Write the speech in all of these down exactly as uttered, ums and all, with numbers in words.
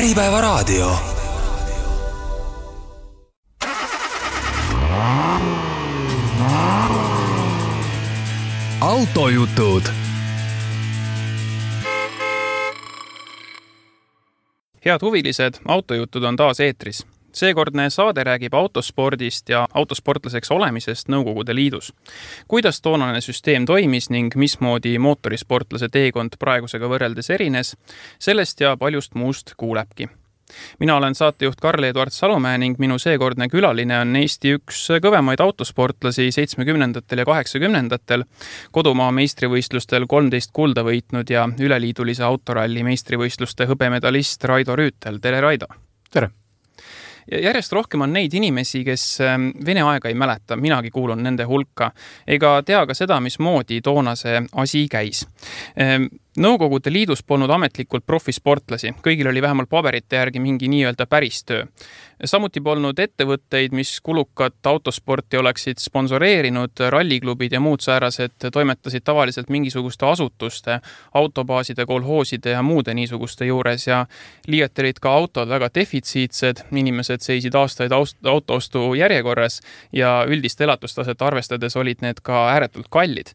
Äripäevaraadio. Autojutud. Head huvilised, autojutud on taas eetris. Seekordne saade räägib autospordist ja autosportlaseks olemisest Nõukogude Liidus. Kuidas toonane süsteem toimis ning mismoodi mootorisportlase teekond praegusega võrreldes erines, sellest ja paljust muust kuulebki. Mina olen saatejuht Karl-Eduard Salumäe ning minu seekordne külaline on Eesti üks kõvemaid autosportlasi seitsmekümnendatel ja kaheksakümnendatel, kodumaa meistrivõistlustel kolmteist kulda võitnud ja üleliidulise autoralli meistrivõistluste hõbemedalist Raido Rüütel. Tere, Raido! Tere! Ja järjest rohkem on neid inimesi, kes Vene aega ei mäleta, minagi kuulun nende hulka, ega tea ka seda, mismoodi toona see asi käis. Nõukogude Liidus polnud ametlikult profisportlasi, kõigil oli vähemalt paberite järgi mingi nii-öelda päris töö. Samuti polnud ettevõtteid, mis kulukat autosporti oleksid sponsoreerinud, ralliklubid ja muud säärased toimetasid tavaliselt mingisuguste asutuste, autobaaside, kolhooside ja muude niisuguste juures ja liiati olid ka autod väga defitsiitsed, inimesed seisid aastaid autoostu järjekorras ja üldist elatustaset arvestades olid need ka ääretult kallid.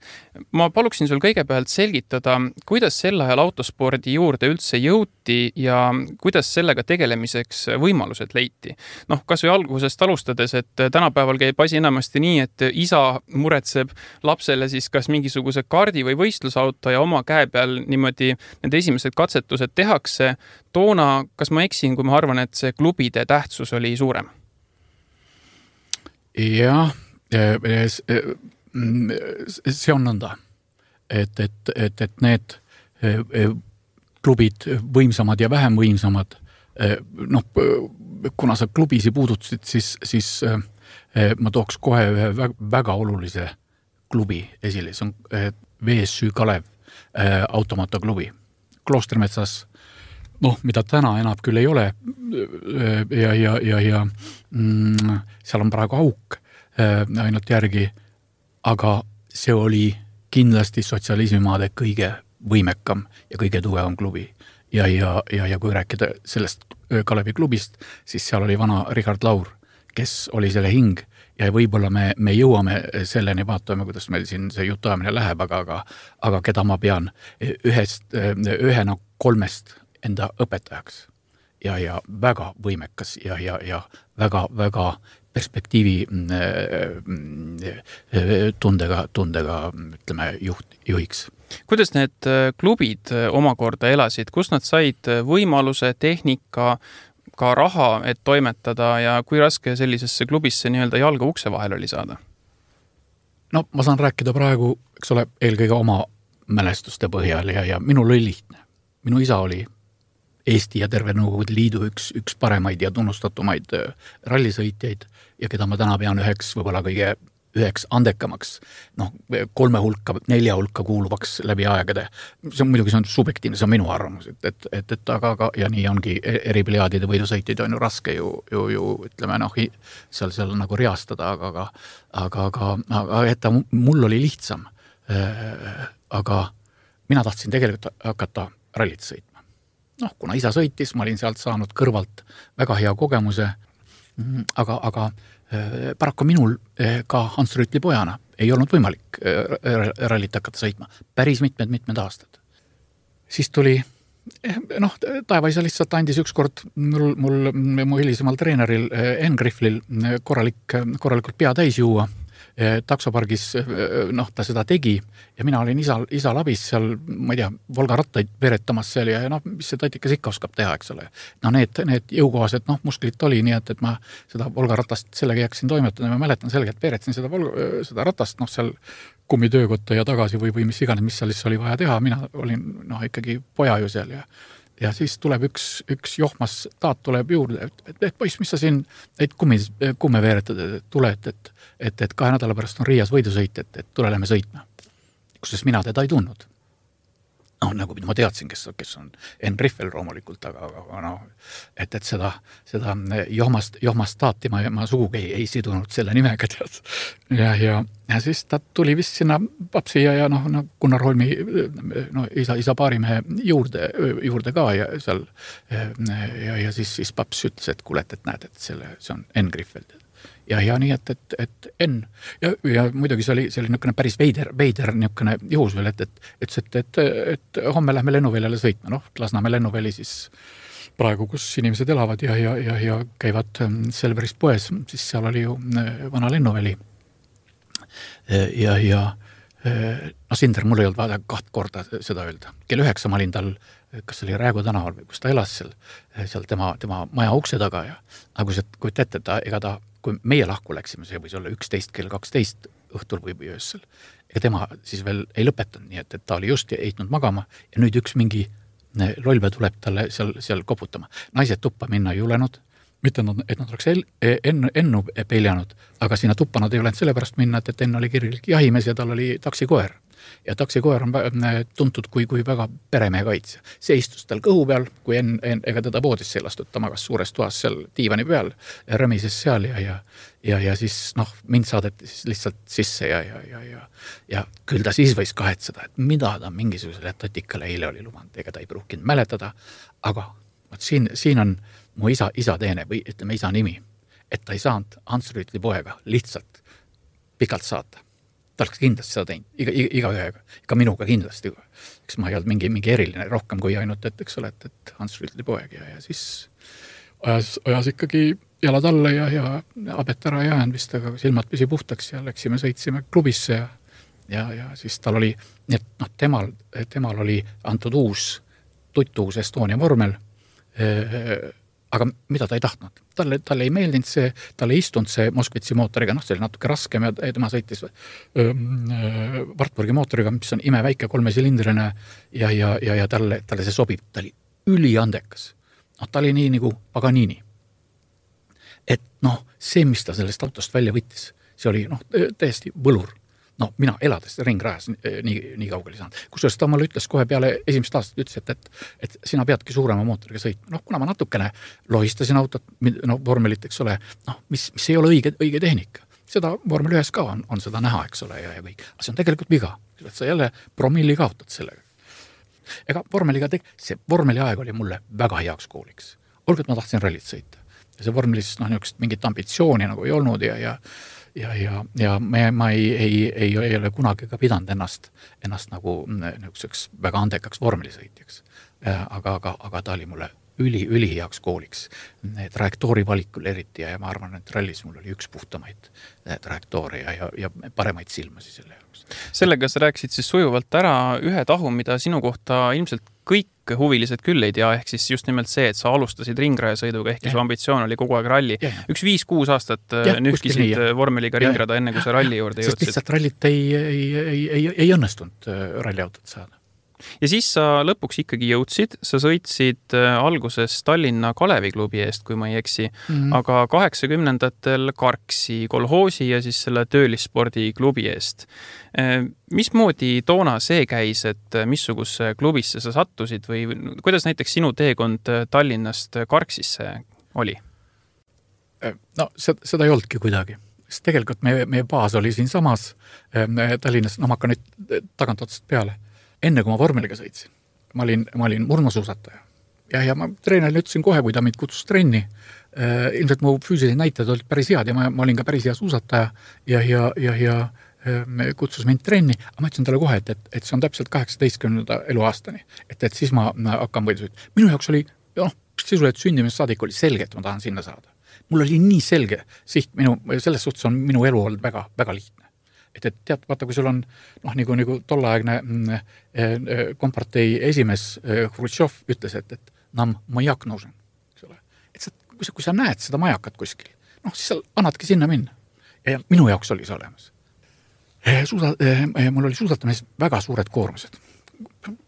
Ma paluksin sul kõigepealt selgitada, kuidas sel ajal autospordi juurde üldse jõuti ja kuidas sellega tegelemiseks võimalused leiti. Noh, kas või algusest alustades, et tänapäeval käib asi enamasti nii, et isa muretseb lapsele siis kas mingisuguse kaardi või võistlusauto ja oma käe peal niimoodi need esimesed katsetused tehakse. Toona, kas ma eksin, kui ma arvan, et see klubide tähtsus oli suurem? Jah, see on nõnda, et, et, et, et need klubid võimsamad ja vähem võimsamad, noh, kuna sa klubisi puudutasid, siis, siis ma tooks kohe ühe väga olulise klubi esile, see on V S Ü Kalev automotoklubi Kloostermetsas, noh, mida täna enam küll ei ole ja, ja, ja, ja mm, seal on praegu auk ainult järgi, aga see oli kindlasti sotsialismimaade kõige võimekam ja kõige tugevam klubi. Ja, ja, ja, ja kui rääkida sellest Kalevi klubist, siis seal oli vana Richard Laur, kes oli selle hing ja võib-olla me, me jõuame selleni, vaatame, kuidas meil siin see jutuajamine läheb, aga, aga, aga keda ma pean ühest, ühena kolmest enda õpetajaks ja, ja väga võimekas ja, ja, ja väga, väga perspektiivi tundega, tundega ütleme, juht, juhiks. Kuidas need klubid omakorda elasid? Kus nad said võimaluse, tehnika, ka raha, et toimetada ja kui raske sellisesse klubisse nii-öelda jalga ukse vahel oli saada? No ma saan rääkida praegu, eks ole, eelkõige oma mälestuste põhjal ja, ja minul oli lihtne. Minu isa oli Eesti ja terve Nõukogude Liidu üks, üks paremaid ja tunnustatumaid rallisõitjaid ja keda ma täna pean üheks võib-olla kõige üheks andekamaks, noh, kolme hulka, nelja hulka kuuluvaks läbi aegade. See on muidugi see on subjektiivne, see on minu arvamus, et, et, et, et aga, aga, ja nii ongi eripliaadide võidusõitjaid on ju raske ju, ju, ju ütleme, noh, seal, seal nagu reastada, aga, aga, aga, aga, aga et mul oli lihtsam, aga mina tahtsin tegelikult hakata rallit sõitma. Noh, kuna isa sõitis, ma olin sealt saanud kõrvalt väga hea kogemuse, aga, aga paraku minul ka Hans Rüütli pojana ei olnud võimalik rallit hakata sõitma päris mitmed, mitmed aastad. Siis tuli, noh, taevaisa lihtsalt andis ükskord mul, mul, mu hilisemal treeneril Enn Grifflil korralik, korralikult pea täis juua. Taksopargis, noh, ta seda tegi ja mina olin isa, isa labis seal, ma ei tea, Volga rattaid veretamas seal ja noh, mis see tatikas ikka oskab teha, eks ole. No need, need jõukohased, noh, musklit oli nii, et, et ma seda Volga ratast sellega jaksin toimetada ja ma mäletan sellega, et veretsin seda, Volga, seda ratast, noh, seal kummitöökotta ja tagasi või, või mis iganes, mis seal siis oli vaja teha. Mina olin, noh, ikkagi poja ju seal ja ja siis tuleb üks, üks johmas taat tuleb juurde, et, et, et poiss, mis sa siin, et kummi, kumme veeretad, et tule, et, et, et, et kahe nädala pärast on Riias võidusõit, et, et tule lähme sõitma. Kusjuures mina teda ei tundnud. noh, nagu ma teadsin, kes, kes on Enn Riffel loomulikult, aga, aga noh, et, et seda, seda johmast, johmastaati ma, ma sugugi ei, ei sidunud selle nimega, tead. Ja, ja, ja siis ta tuli vist sinna papsi ja, ja noh, no, Gunnar Holmi no, isa, isa paarimehe juurde, juurde ka ja seal ja, ja siis, siis paps ütles, et kuule, et näed, et selle, see on Enn Riffel. Ja, ja nii, et, et, et Enn ja, ja muidugi see oli, see oli niisugune päris veider, veider niisugune juhus veel, et, et, et, et, et, et homme lähme lennuväljale sõitma, noh, Lasnamäe lennuväli siis praegu, kus inimesed elavad ja, ja, ja, ja käivad Selverist poes, siis seal oli ju vana lennuväli. Ja, ja no Sinder, mul ei olnud vaja kaht korda seda öelda. Kell üheksa ma olin tal, kas oli Räägu tänaval või kus ta elas seal, seal tema, tema maja ukse taga ja aga kui sa kuid ette, ta, ega ta kui meie lahku läksime, see võis olla üksteist kell kaksteist õhtul või öössel. Ega tema siis veel ei lõpetanud, nii et, et ta oli just eitnud magama ja nüüd üks mingi lollbe tuleb talle seal, seal koputama. Naised tuppa minna ei julenud, mitte et nad oleks ennu, ennu peljanud, aga sinna tuppa nad ei olenud sellepärast minna, et, et enne oli kirjalik jahimees ja tal oli taksikoer. Ja taksikoer on tuntud kui, kui väga peremehe kaitsja. See istus tal kõhu peal, kui en, en, ega teda voodisse ei lastud, ta magas suures toas seal diivani peal, rõmises seal ja, ja, ja, ja siis noh, mind saadeti siis lihtsalt sisse ja, ja, ja, ja, ja küll ta siis võis kahetseda, et mida ta mingisugusele tatikale eile oli lubanud, ega ta ei pruukinud mäletada, aga võt, siin, siin on mu isa, isa teene või ütleme isa nimi, et ta ei saanud Hans Rüütli poega lihtsalt pikalt saata. Ta oleks kindlasti seda teinud, iga, iga, iga ühega, ka minuga kindlasti. Eks ma ei olnud mingi, mingi eriline rohkem kui ainult, et eks ole, et, et Hans Rüütli poeg ja, ja siis ajas, ajas ikkagi jalad alla ja, ja abet ära ei jäänud vist, aga silmad püsi puhtaks ja läksime, sõitsime klubisse ja, ja, ja siis tal oli, nii et noh, temal, temal oli antud uus, tuttuus Estonia vormel, aga mida ta ei tahtnud. Talle, talle ei meeldinud see, talle ei istunud see Moskvitsi mootoriga, noh, see oli natuke raskem ja tema sõitis Wartburgi mootoriga, mis on imeväike kolmesilindrine ja, ja, ja, ja talle, talle see sobib. Ta oli üliandekas. No, ta oli nii nagu Paganini. Et noh, see, mis ta sellest autost välja võttis, see oli noh, täiesti võlur. No, mina elades ringrajas nii, nii kaugele saanud. Kusjuures ta mulle ütles kohe peale esimest aastat, ütles, et, et, et sina peadki suurema mootoriga sõitma. Noh, kuna ma natukene lohistasin autot, no, vormelit, eks ole, noh, mis, mis ei ole õige, õige tehnika. Seda vormel ühes ka on, on seda näha, eks ole, ja, ja kõik. Aga see on tegelikult viga. Sa jälle promilli kaotad sellega. Ega vormeliga teg-, see vormeli aeg oli mulle väga heaks kooliks. Olgu, et ma tahtsin rallit sõita. Ja see vormelis, noh, niisugust mingit ambitsiooni nagu ei olnud ja, ja Ja, ja, ja me, ma ei, ei, ei, ei ole kunagi ka pidanud ennast, ennast nagu niisuguseks väga andekaks vormelisõitjaks. Aga, aga, aga ta oli mulle üli, üli heaks kooliks. Trajektoori valikul eriti ja ma arvan, et rallis mul oli üks puhtamaid trajektoori ja, ja, ja paremaid silmasi selle jaoks. Sellega sa rääkisid siis sujuvalt ära ühe tahu, mida sinu kohta ilmselt kõik huvilised küll ei tea, ehk siis just nimelt see, et sa alustasid ringrajasõiduga, ehk su ambitsioon oli kogu aeg ralli. Ja, ja. Üks viis-kuus aastat ja, nühkisid vormeliga ringrada enne, kui sa ralli juurde jõudsid. Sest lihtsalt rallit ei, ei, ei, ei, ei õnnestunud ralliautot saada. Ja siis sa lõpuks ikkagi jõudsid, sa sõitsid alguses Tallinna Kalevi klubi eest, kui ma ei eksi, mm-hmm. aga kaheksakümnendatel Karksi kolhoosi ja siis selle töölisspordi klubi eest. Mismoodi toona see käis, et missuguse klubisse sa sattusid või kuidas näiteks sinu teekond Tallinnast Karksisse oli? No seda, seda ei oldki kuidagi. Sest tegelikult meie, meie baas oli siin samas Tallinnas, no ma hakkan nüüd tagant otsast peale. Enne kui ma vormeliga sõitsin, ma olin, ma olin murnusuusataja. Ja, ja ma treenerile ütlesin kohe, kui ta mind kutsus trenni. Äh, ilmselt mu füüsilised näitajad olid päris head ja ma, ma olin ka päris hea suusataja ja, ja, ja, ja me kutsus mind trenni. Aga ma ütlesin talle kohe, et, et, et see on täpselt kaheksateistkümnenda eluaastani. Et, et siis ma hakkan võidu sõit. Minu jaoks oli, noh, sisuliselt sündimist saadik oli selge, et ma tahan sinna saada. Mul oli nii selge siht, minu, selles suhtes on minu elu olnud väga, väga lihtne. Et, et tead, vaata, kui sul on noh, nagu, nagu tollaegne äh, kompartei esimees äh, Hrutšov ütles, et, et nam majak nužen. Et sa, kui, sa, kui sa näed seda majakat kuskil, noh, siis sa annadki sinna minna. Ja minu jaoks oli see olemas. Suusa, äh, mul oli suusatamis väga suured koormused.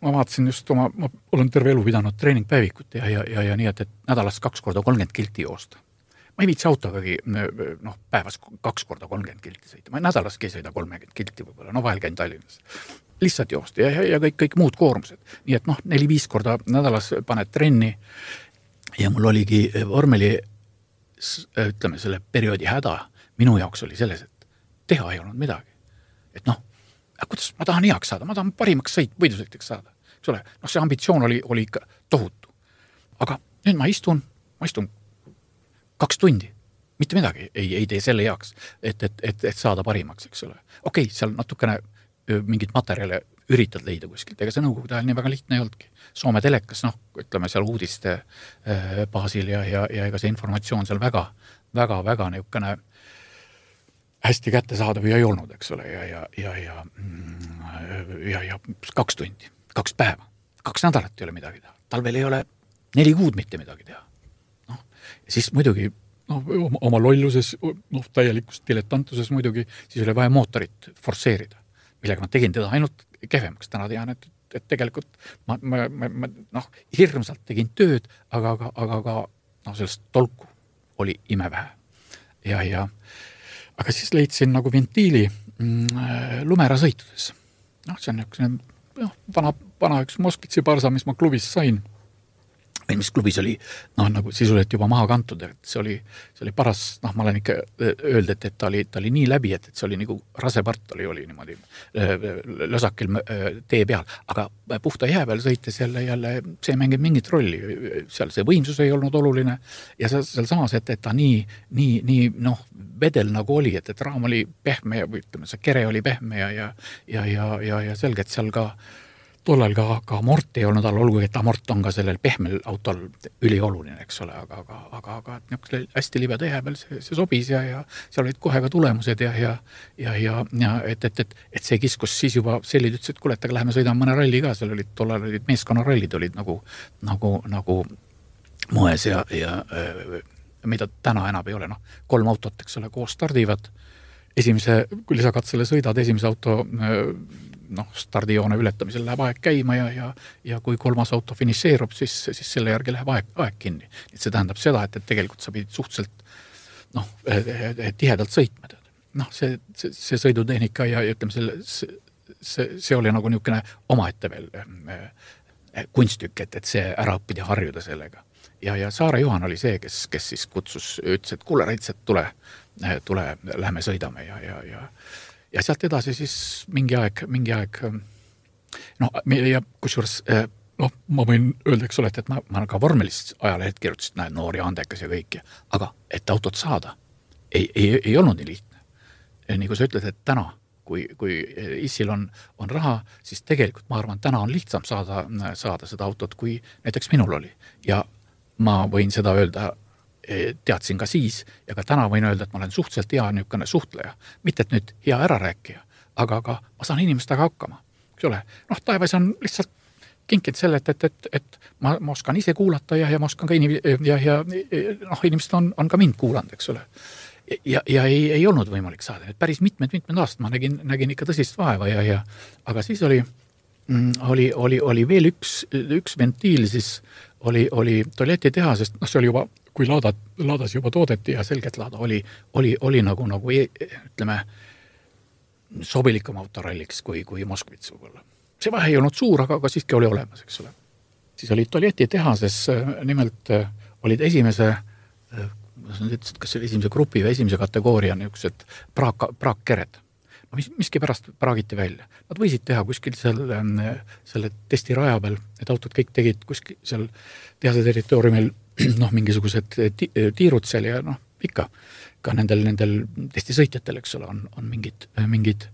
Ma vaatasin just oma, ma olen terve elu pidanud treeningpäevikut ja, ja, ja, ja nii, et, et nädalas kaks korda kolmkümmend kilti joosta. Ma ei viitsi autogagi noh, päevas kaks korda kolmkümmend kilti sõita. Ma nädalaski ei sõida kolmkümmend kilti võib-olla, no vahel käin Tallinnas. lihtsalt joosta ja, ja, ja kõik, kõik muud koormused. Nii et noh, neli-viis korda nädalas paned trenni ja mul oligi vormeli, ütleme, selle perioodi häda minu jaoks oli selles, et teha ei olnud midagi. Et noh, kuidas ma tahan heaks saada, ma tahan parimaks sõit, võidusõiteks saada. Eks ole, noh, see ambitsioon oli, oli ikka tohutu. Aga nüüd ma istun, ma istun kaks tundi, mitte midagi ei, ei tee selle heaks, et, et, et, et saada parimaks, eks ole. Okei, seal natukene mingit materjale üritad leida kuskilt, ega see nõukogude ajal nii väga lihtne ei oldki. Soome telekas, noh, ütleme seal uudiste baasil ja, ja, ja ega see informatsioon seal väga, väga, väga niukene hästi kätte saada või ei olnud, eks ole, ja, ja, ja, ja, ja, ja kaks tundi, kaks päeva, kaks nädalat ei ole midagi teha. Talvel ei ole neli kuud mitte midagi teha. Noh, ja siis muidugi noh, oma lolluses, noh, täielikus diletantuses muidugi, siis oli vaja mootorit forsseerida, millega ma tegin teda ainult kehvemaks. Täna tean, et, et tegelikult ma, ma, ma, ma noh, hirmsalt tegin tööd, aga, aga, aga, aga noh, sellest tolku oli imevähe. Ja, ja aga siis leidsin nagu ventiili mm, lumera sõitudes. Noh, see on üks noh, vana, vana üks Moskvitsi parsa, mis ma klubis sain. Või mis klubis oli, noh, nagu sisuliselt juba maha kantud, et see oli, see oli paras, noh, ma olen ikka öeldi, et, et ta oli, ta oli nii läbi, et, et see oli nagu rasepart oli, oli niimoodi lösakil tee peal, aga puhta jää peal sõites jälle, jälle see mängib mingit rolli, seal see võimsus ei olnud oluline ja seal, seal samas, et, et ta nii, nii, nii, noh, vedel nagu oli, et, et raam oli pehme ja või ütleme, see kere oli pehme ja, ja, ja, ja, ja, ja selge, et seal ka tollal ka, ka amort ei olnud all, olgugi, et amort on ka sellel pehmel autol ülioluline, eks ole, aga, aga, aga, aga niisugune hästi libeda jää peal see, see sobis ja, ja seal olid kohe ka tulemused ja, ja, ja, ja, ja et, et, et, et see kiskus siis juba sellid ütles, et kuule, et aga läheme sõidame mõne ralli ka, seal olid tollal olid meeskonnarallid olid nagu, nagu, nagu moes ja, ja mida täna enam ei ole, noh, kolm autot, eks ole, koos stardivad, esimese, kui lisakatsele sõidad, esimese auto noh, stardijoone ületamisel läheb aeg käima ja, ja, ja kui kolmas auto finišeerub, siis, siis selle järgi läheb aeg, aeg kinni. Et see tähendab seda, et, et tegelikult sa pidid suhteliselt noh, tihedalt sõitma. Noh, see, see, see sõidutehnika ja ütleme, selle, see, see, see oli nagu niisugune omaette veel kunstük, et, et see ära õppida harjuda sellega. Ja, ja Saare Juhan oli see, kes, kes siis kutsus, ütles, et kuule, Raits, et tule, tule, lähme sõidame ja, ja, ja ja sealt edasi siis mingi aeg, mingi aeg, noh, ja kusjuures, noh, ma võin öelda, eks ole, et ma, ma ka vormelist ajalehed kirjutasid, näed, noori andekas ja kõik, aga et autot saada ei, ei, ei olnud nii lihtne. Nii kui sa ütled, et täna, kui, kui issil on, on raha, siis tegelikult ma arvan, täna on lihtsam saada, saada seda autot, kui näiteks minul oli. Ja ma võin seda öelda, teadsin ka siis ja ka täna võin öelda, et ma olen suhteliselt hea niisugune suhtleja. Mitte, et nüüd hea ärarääkija, aga, aga ma saan inimestega hakkama. Eks ole, noh, taevas on lihtsalt kinkinud selle, et, et, et, et ma, ma oskan ise kuulata ja, ja ma oskan ka inim- ja, ja noh, inimesed on, on ka mind kuulanud, eks ole. Ja, ja ei, ei olnud võimalik saada. Et päris mitmed, mitmed aastad ma nägin, nägin ikka tõsist vaeva ja, ja aga siis oli, oli, oli, oli veel üks, üks ventiil, siis oli, oli Tolleti teha, sest noh, see oli juba kui laadad, laadas juba toodeti ja selgelt laada oli, oli, oli nagu, nagu ütleme, sobilikum autoralliks kui, kui Moskvits võib-olla. See vahe ei olnud suur, aga, aga siiski oli olemas, eks ole. Siis oli Tolleti tehases, nimelt olid esimese, kas oli esimese grupi või esimese kategooria niisugused praak, praakkered. No, mis, miski pärast praagiti välja. Nad võisid teha kuskil selle, selle testi raja peal, et autod kõik tegid kuskil seal tehase territooriumil noh, mingisugused tiirud seal ja noh, ikka ka nendel, nendel testisõitjatel, eks ole, on, on mingid, mingid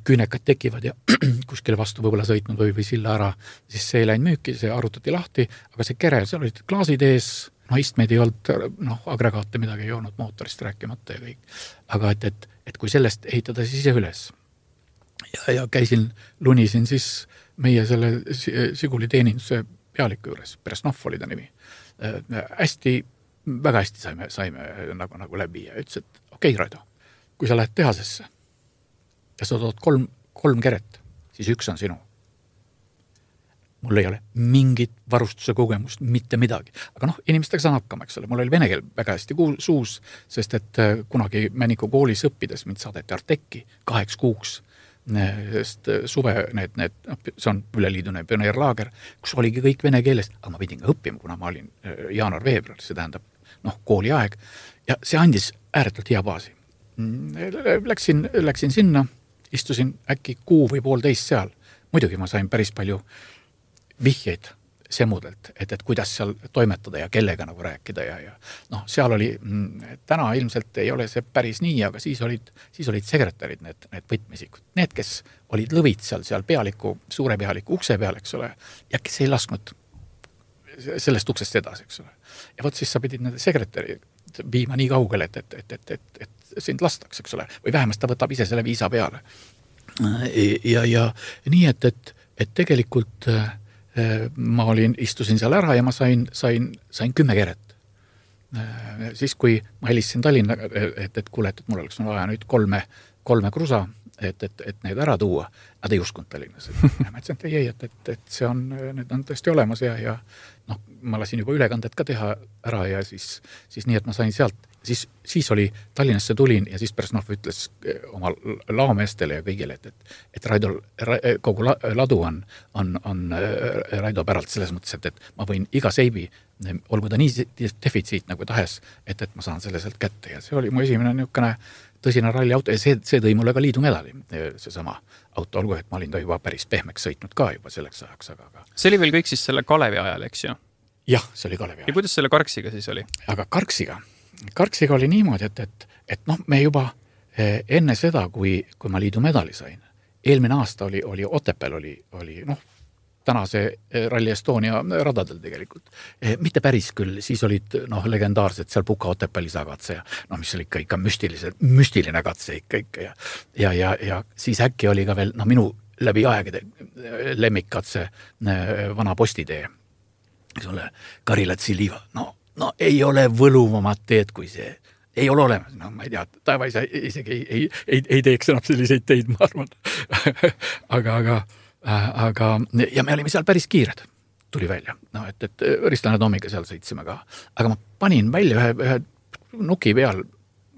küünekad tekivad ja kuskile vastu võib-olla sõitnud või, või silla ära, siis see ei läinud müüki, see arutati lahti, aga see kere, seal olid klaasid ees, noh, istmeid ei olnud, noh, agregaate midagi ei olnud, mootorist rääkimata ja kõik. Aga et, et, et kui sellest ehitada siis ise üles ja, ja käisin, lunisin siis meie selle Siguli teeninduse pealiku juures, Presnov oli ta nimi. Hästi, väga hästi saime, saime nagu, nagu läbi ja ütles, et okei, Raido, kui sa lähed tehasesse ja sa tood kolm, kolm keret, siis üks on sinu. Mul ei ole mingit varustuse kogemust, mitte midagi. Aga noh, inimestega saan hakkama, eks ole. Mul oli vene keel väga hästi suus, sest et kunagi Männiku koolis õppides mind saadeti Arteki kaheks kuuks sest suve need, need, see on üleliidune pioneerlaager, kus oligi kõik vene keeles, aga ma pidin ka õppima, kuna ma olin jaanuar-veebruar, see tähendab noh, kooliaeg ja see andis ääretult hea baasi. Läksin, läksin sinna, istusin äkki kuu või poolteist seal. Muidugi ma sain päris palju vihjeid semudelt, et, et kuidas seal toimetada ja kellega nagu rääkida ja, ja noh, seal oli, täna ilmselt ei ole see päris nii, aga siis olid, siis olid sekretärid, need, need võtmisikud. Need, kes olid lõvid seal, seal pealiku, suure pealiku ukse peal, eks ole, ja kes ei lasknud sellest uksest edasi, eks ole. Ja võt siis sa pidid nende sekretäri viima nii kaugele, et, et, et, et, et, et sind lastaks, eks ole, või vähemalt ta võtab ise selle viisa peale. Ja, ja nii, et, et, et tegelikult ma olin, istusin seal ära ja ma sain, sain, sain kümme keret. Siis, kui ma helistasin Tallinna, et, et kuule, et mul oleks vaja nüüd kolme, kolme krusa, et, et, et need ära tuua, nad ei uskunud Tallinnas. Ma ütlesin, et ei, et, et, et see on, need on tõesti olemas ja, ja noh, ma lasin juba ülekandet ka teha ära ja siis, siis nii, et ma sain sealt, siis, siis oli Tallinnasse tulin ja siis Bersnov ütles oma laomeestele ja kõigile, et, et, et Raido, kogu ladu on, on, on Raido päralt selles mõttes, et, et ma võin iga seibi, olgu ta nii defitsiit nagu tahes, et, et ma saan selle sealt kätte ja see oli mu esimene niisugune tõsine ralliauto ja see, see tõi mulle ka liidu medali, seesama auto, olgu, et ma olin ta juba päris pehmeks sõitnud ka juba selleks ajaks. Aga, aga... See oli veel kõik siis selle Kalevi ajal, eks ju? Jah, see oli Kalevi ajal. Ja kuidas selle Karksiga siis oli? Aga Karksiga, Karksiga oli niimoodi, et, et, et noh, me juba enne seda, kui, kui ma liidu medali sain, eelmine aasta oli, oli Otepääl oli, oli noh, tänase Rally Estonia radadel tegelikult. Mitte päris küll, siis olid noh, legendaarsed seal Puka Otepääl isakatse ja noh, mis oli ikka, ikka müstiline katse ikka, ikka ja, ja, ja, ja siis äkki oli ka veel noh, minu läbi aegade lemmikkatse vana postitee, eks ole, Karilatsi liiva, no no ei ole võluvamat teed kui see. Ei ole olemas, no ma ei tea, taeva ise isegi ei, ei, ei, ei teeks enam selliseid teid, ma arvan. aga, aga, aga, ja me olime seal päris kiired, tuli välja. No, et, et Ristlane Tomiga seal sõitsime ka. Aga ma panin välja ühe, ühe nuki peal,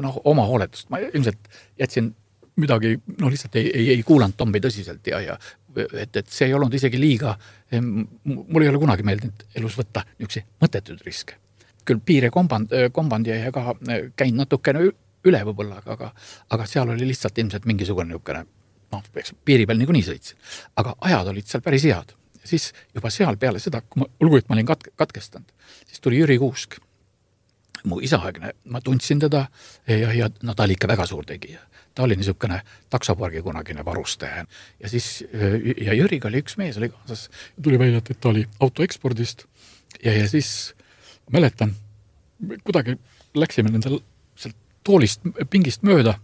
noh, oma hooletust. Ma ilmselt jätsin midagi, no lihtsalt ei, ei, ei kuulanud Tommi tõsiselt ja, ja et, et see ei olnud isegi liiga, mul ei ole kunagi meeldinud elus võtta niisuguse mõttetud riske. Küll piire komband, komband ja ka käin natukene üle võib-olla, aga, aga seal oli lihtsalt ilmselt mingisugune niisugune, noh, piiri peal niikuinii sõitsin. Aga ajad olid seal päris head. Siis juba seal peale seda, kui ma, olgu, et ma olin katke, katkestanud, siis tuli Jüri Kuusk. Mu isaaegne, ma tundsin teda ja, ja no, ta oli ikka väga suur tegija. Ta oli niisugune taksopargi kunagine varustaja. Ja siis, ja Jüriga oli üks mees, oli kaasas, tuli välja, et ta oli autoekspordist ja, ja siis mäletan, kuidagi läksime nendel sealt toolist, pingist mööda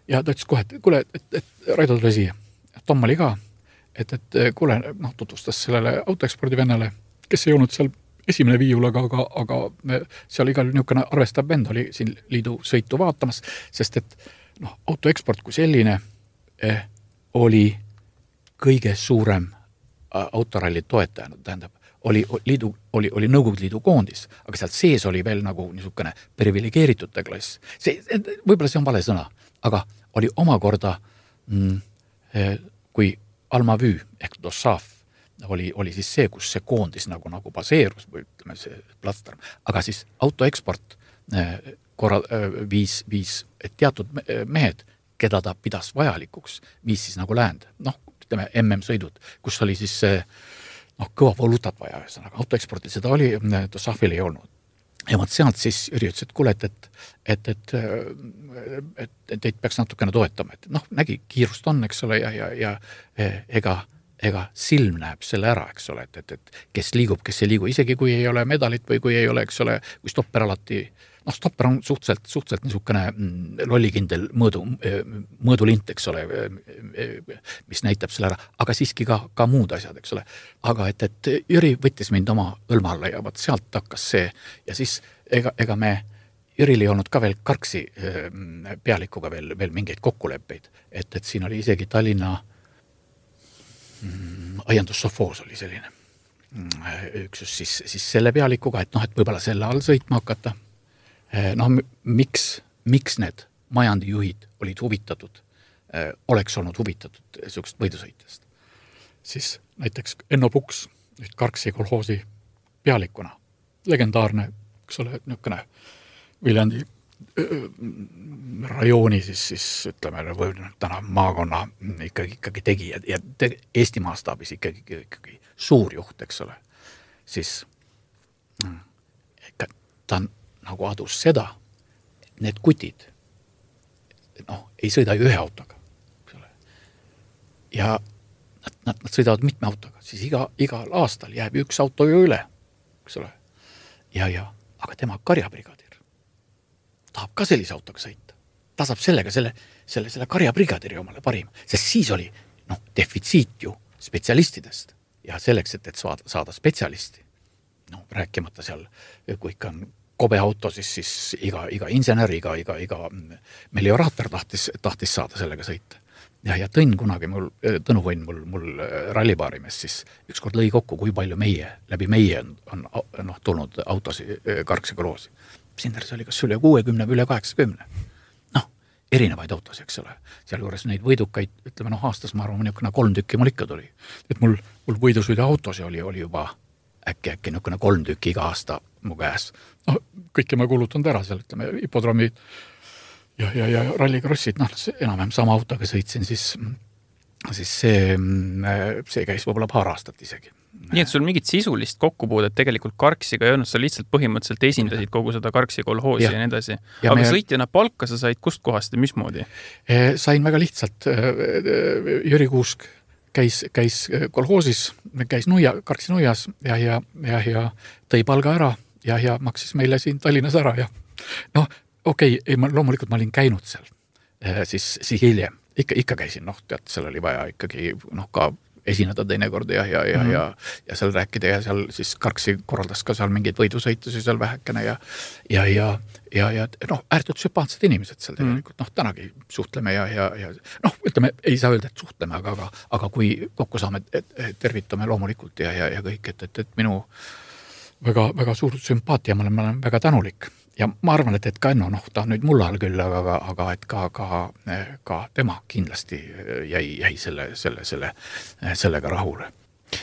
ja ta ütles kohe, et kuule, et, et Raido tule siia. Tom oli ka, et, et kuule, noh, tutvustas sellele autoekspordi vennale, kes ei olnud seal esimene viiul, aga, aga, aga me, seal igal niisugune arvestav vend oli siin liidu sõitu vaatamas, sest et noh, autoeksport kui selline eh, oli kõige suurem autoralli toetaja, tähendab, oli, liidu, oli, oli Nõukogude Liidu koondis, aga sealt sees oli veel nagu niisugune privilegeeritute klass. See, võib-olla see on vale sõna, aga oli omakorda, mm, kui Alma Vüü ehk Dossav oli, oli siis see, kus see koondis nagu, nagu baseerus, või ütleme see platsdarm, aga siis autoeksport korra, viis, viis et teatud mehed, keda ta pidas vajalikuks, viis siis nagu läände, noh, ütleme M M-sõidud, kus oli siis see noh, kõva volutat vaja, ühesõnaga, autoeksportil seda oli, Dossafil ei olnud. Ja ma sealt siis Jüri ütles, et kuule, et, et, et, et, et teid peaks natukene toetama, et noh, nägi, kiirust on, eks ole, ja, ja, ja ega, ega silm näeb selle ära, eks ole, et, et, et kes liigub, kes ei liigu, isegi kui ei ole medalit või kui ei ole, eks ole, kui stopper alati, noh, stopper on suhteliselt, suhteliselt niisugune lollikindel mõõdu, mõõdulint, eks ole, mis näitab selle ära, aga siiski ka, ka muud asjad, eks ole. Aga et, et Jüri võttis mind oma õlma alla ja vaat sealt hakkas see ja siis ega, ega me Jüril ei olnud ka veel Karksi pealikuga veel, veel mingeid kokkuleppeid, et, et siin oli isegi Tallinna mm, aiandus Sofoos oli selline üksus siis, siis selle pealikuga, et noh, et võib-olla selle all sõitma hakata. Noh, miks, miks need majandijuhid olid huvitatud oleks olnud huvitatud niisugust võidusõitjast. Siis näiteks Enno Puks, nüüd Karksi kolhoosi pealikuna, legendaarne, eks ole, niisugune Viljandi rajooni siis, siis ütleme, või täna maakonna ikkagi, ikkagi tegi ja, ja te, Eesti maastaabis ikkagi, ikkagi suur juht, eks ole, siis ta nagu adus seda, et need kutid noh, ei sõida ju ühe autoga, eks ole. Ja nad, nad, nad sõidavad mitme autoga, siis iga, igal aastal jääb üks auto ju üle, eks ole. Ja, ja, aga tema karjabrigadir tahab ka sellise autoga sõita. Ta saab sellega selle, selle, selle karjabrigadiri omale parima, sest siis oli noh, defitsiit ju spetsialistidest ja selleks, et, et saada, saada spetsialisti, noh, rääkimata seal, kui ikka on kobe auto, siis, siis iga, iga insener, iga, iga, iga melioraator tahtis, tahtis saada sellega sõita. Ja, ja Tõnn kunagi mul, Tõnu Võin mul, mul rallipaarimees siis ükskord lõi kokku, kui palju meie, läbi meie on, on noh, tulnud autosi Karksi kolhoosi. Sinders oli kas üle kuuekümne või üle kaheksakümne. Noh, erinevaid autosi, eks ole. Seal juures neid võidukaid, ütleme, noh, aastas ma arvan, niisugune kolm tükki mul ikka tuli. Et mul, mul võidusõida autosi oli, oli juba äkki, äkki niisugune kolm tükki iga aasta mu käes. No, kõike ma kulutanud ära seal, ütleme, hipodroomid ja, ja, ja rallikrossid, noh, enam-vähem sama autoga sõitsin, siis, siis see, see käis võib-olla paar aastat isegi. Nii et sul mingit sisulist kokkupuudet tegelikult Karksiga ei olnud, sa lihtsalt põhimõtteliselt esindasid kogu seda Karksi kolhoosi ja, ja nii edasi. Aga me... sõitjana palka sa said kust kohast ja mismoodi? Sain väga lihtsalt. Jüri Kuusk käis, käis kolhoosis, käis nuia, Karksi nuias ja, ja, ja, ja tõi palga ära ja, ja maksis meile siin Tallinnas ära. Ja noh, okei, okay, ma, loomulikult ma olin käinud seal siis, siis hiljem. Ikka, ikka käisin, noh, tead, seal oli vaja ikkagi noh, ka esineda teinekord ja, ja, ja, mm-hmm. ja, ja seal rääkida ja seal siis Karksi korraldas ka seal mingeid võidusõitusi seal vähekene ja, ja, ja, ja, ja noh, ääretult sümpaatsed inimesed seal tegelikult, noh, tänagi suhtleme ja, ja, ja noh, ütleme, ei saa öelda, et suhtleme, aga, aga, aga kui kokku saame, et, et tervitame loomulikult ja, ja, ja kõik, et, et, et minu väga, väga suur sümpaatia, ma olen, ma olen väga tänulik. Ja ma arvan, et, et ka Enno, noh, ta on nüüd mulla all küll, aga, aga et ka, ka, ka tema kindlasti jäi, jäi selle, selle, selle, sellega rahule.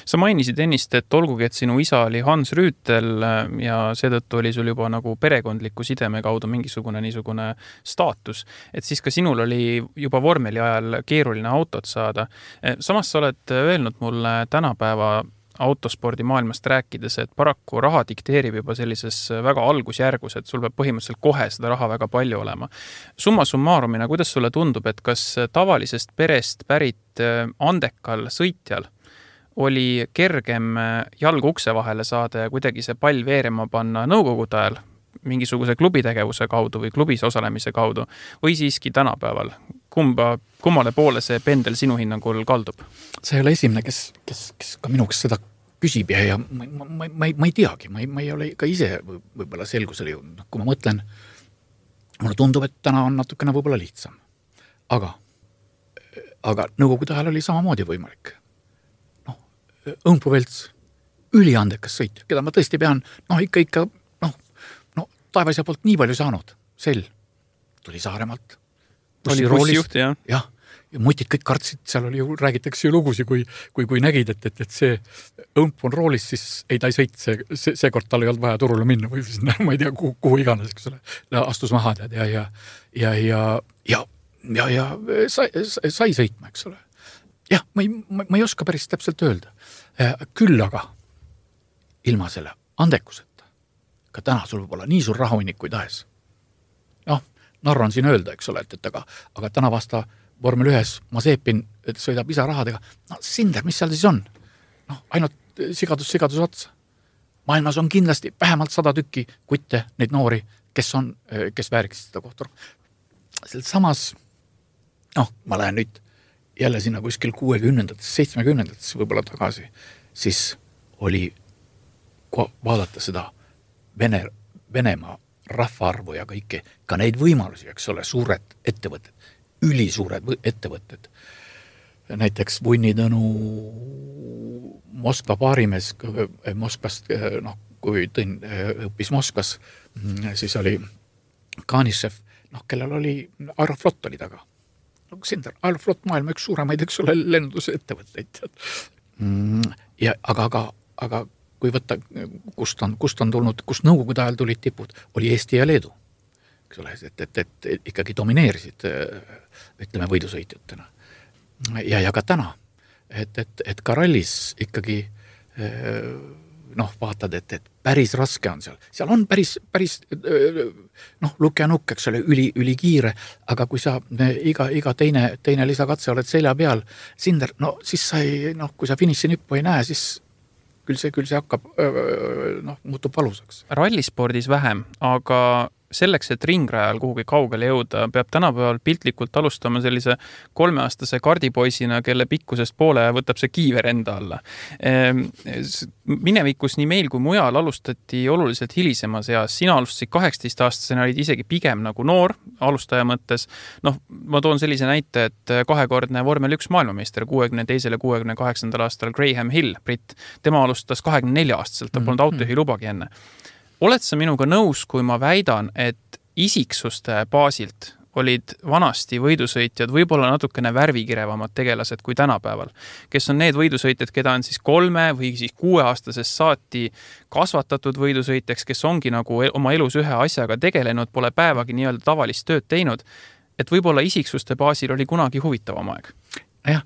Sa mainisid ennist, et olgugi, et sinu isa oli Hans Rüütel ja seetõttu oli sul juba nagu perekondliku sideme kaudu mingisugune niisugune staatus, et siis ka sinul oli juba vormeli ajal keeruline autot saada. Samas sa oled öelnud mulle tänapäeva autospordi maailmast rääkides, et paraku raha dikteerib juba sellises väga algusjärgus, et sul peab põhimõtteliselt kohe seda raha väga palju olema. Summa summarumina, kuidas sulle tundub, et kas tavalisest perest pärit andekal sõitjal oli kergem jalg ukse vahele saada ja kuidagi see pall veerema panna nõukogude ajal mingisuguse klubitegevuse kaudu või klubis osalemise kaudu või siiski tänapäeval? Kumba, kummale poole see pendel sinu hinnangul kaldub? See ei ole esimene, kes, kes, kes ka minuks seda küsib ja, ja ma, ma, ma, ma, ei, ma ei teagi, ma ei, ma ei ole ka ise võib-olla selgusele jõudnud. Kui ma mõtlen, mulle tundub, et täna on natukene võib-olla lihtsam. Aga, aga nõukogude ajal oli samamoodi võimalik. Noh, Õmpu Velts, üliandekas sõit, keda ma tõesti pean, noh, ikka, ikka, noh, no, taevaisa poolt nii palju saanud. Sel tuli Saaremaalt. Oli bussijuht, jah. jah, ja mutid kõik kartsid, seal oli ju, räägitakse ju lugusi, kui, kui, kui nägid, et, et, et see õmp on roolis, siis ei ta ei sõit, see, see, see kord tal ei olnud vaja turule minna või sinna, ma ei tea, kuhu, kuhu iganes, eks ole, astus maha tead ja, ja, ja, ja, ja, ja, ja sai, sai sõitma, eks ole. Jah, ma ei, ma, ma ei oska päris täpselt öelda. Küll aga ilma selle andekuseta, ka täna sul võib olla nii suur rahunikuid ahes. Noh, narran siin öelda, eks ole, et, et aga, aga täna vasta vormel ühes Mazepin sõidab isarahadega. No Sinder, mis seal siis on? Noh, ainult sigadus, sigadus otsa. Maailmas on kindlasti vähemalt sada tükki kutte, neid noori, kes on, kes vääriksid seda kohta. Samas, noh, ma lähen nüüd jälle sinna kuskil kuuekümnendates, seitsmekümnendates võib-olla tagasi, siis oli vaadata seda Vene, Venemaa rahvaarvu ja kõike, ka neid võimalusi, eks ole, suured ettevõtted, ülisuured ettevõtted. Näiteks Vunnitõnu Moskva paarimees Moskvast, noh, kui Tõnn õppis Moskvas, siis oli Kanišev, noh, kellel oli Aeroflot oli taga. no Sinder, Aeroflot maailma üks suuremaid, eks ole, lennunduse ettevõtteid. Mm, ja, aga, aga, aga kui võtta, kust on, kust on tulnud, kust nõukogude ajal tulid tipud, oli Eesti ja Leedu. Eks ole, et, et, et, et ikkagi domineerisid, ütleme, võidusõitjatena. Ja, ja ka täna, et, et, et ka rallis ikkagi noh, vaatad, et, et päris raske on seal. Seal on päris, päris noh, lukk ja nukk, eks ole, üli, üli kiire, aga kui sa iga, iga teine, teine lisakatse oled selja peal, Sinder, no siis sa ei, noh, kui sa finiši nippu ei näe, siis küll see, küll see hakkab, noh, muutub valusaks. Rallispordis vähem, aga selleks, et ringrajal kuhugi kaugele jõuda, peab tänapäeval piltlikult alustama sellise kolmeaastase kardipoisina, kelle pikkusest poole võtab see kiiver enda alla. Minevikus nii meil kui mujal alustati oluliselt hilisemas eas. Sina alustasid kaheksateist aastasena, olid isegi pigem nagu noor alustaja mõttes. Noh, ma toon sellise näite, et kahekordne vormel üks maailmameister kuuekümne teisel ja kuuekümne kaheksandal aastal Graham Hill, Britt, tema alustas kahekümne nelja aastaselt, ta polnud autojuhi lubagi enne. Oled sa minuga nõus, kui ma väidan, et isiksuste baasilt olid vanasti võidusõitjad võib-olla natukene värvikirevamad tegelased kui tänapäeval, kes on need võidusõitjad, keda on siis kolme või siis kuueaastasest saati kasvatatud võidusõitjaks, kes ongi nagu oma elus ühe asjaga tegelenud, pole päevagi nii-öelda tavalist tööd teinud, et võib-olla isiksuste baasil oli kunagi huvitavam aeg. Jah,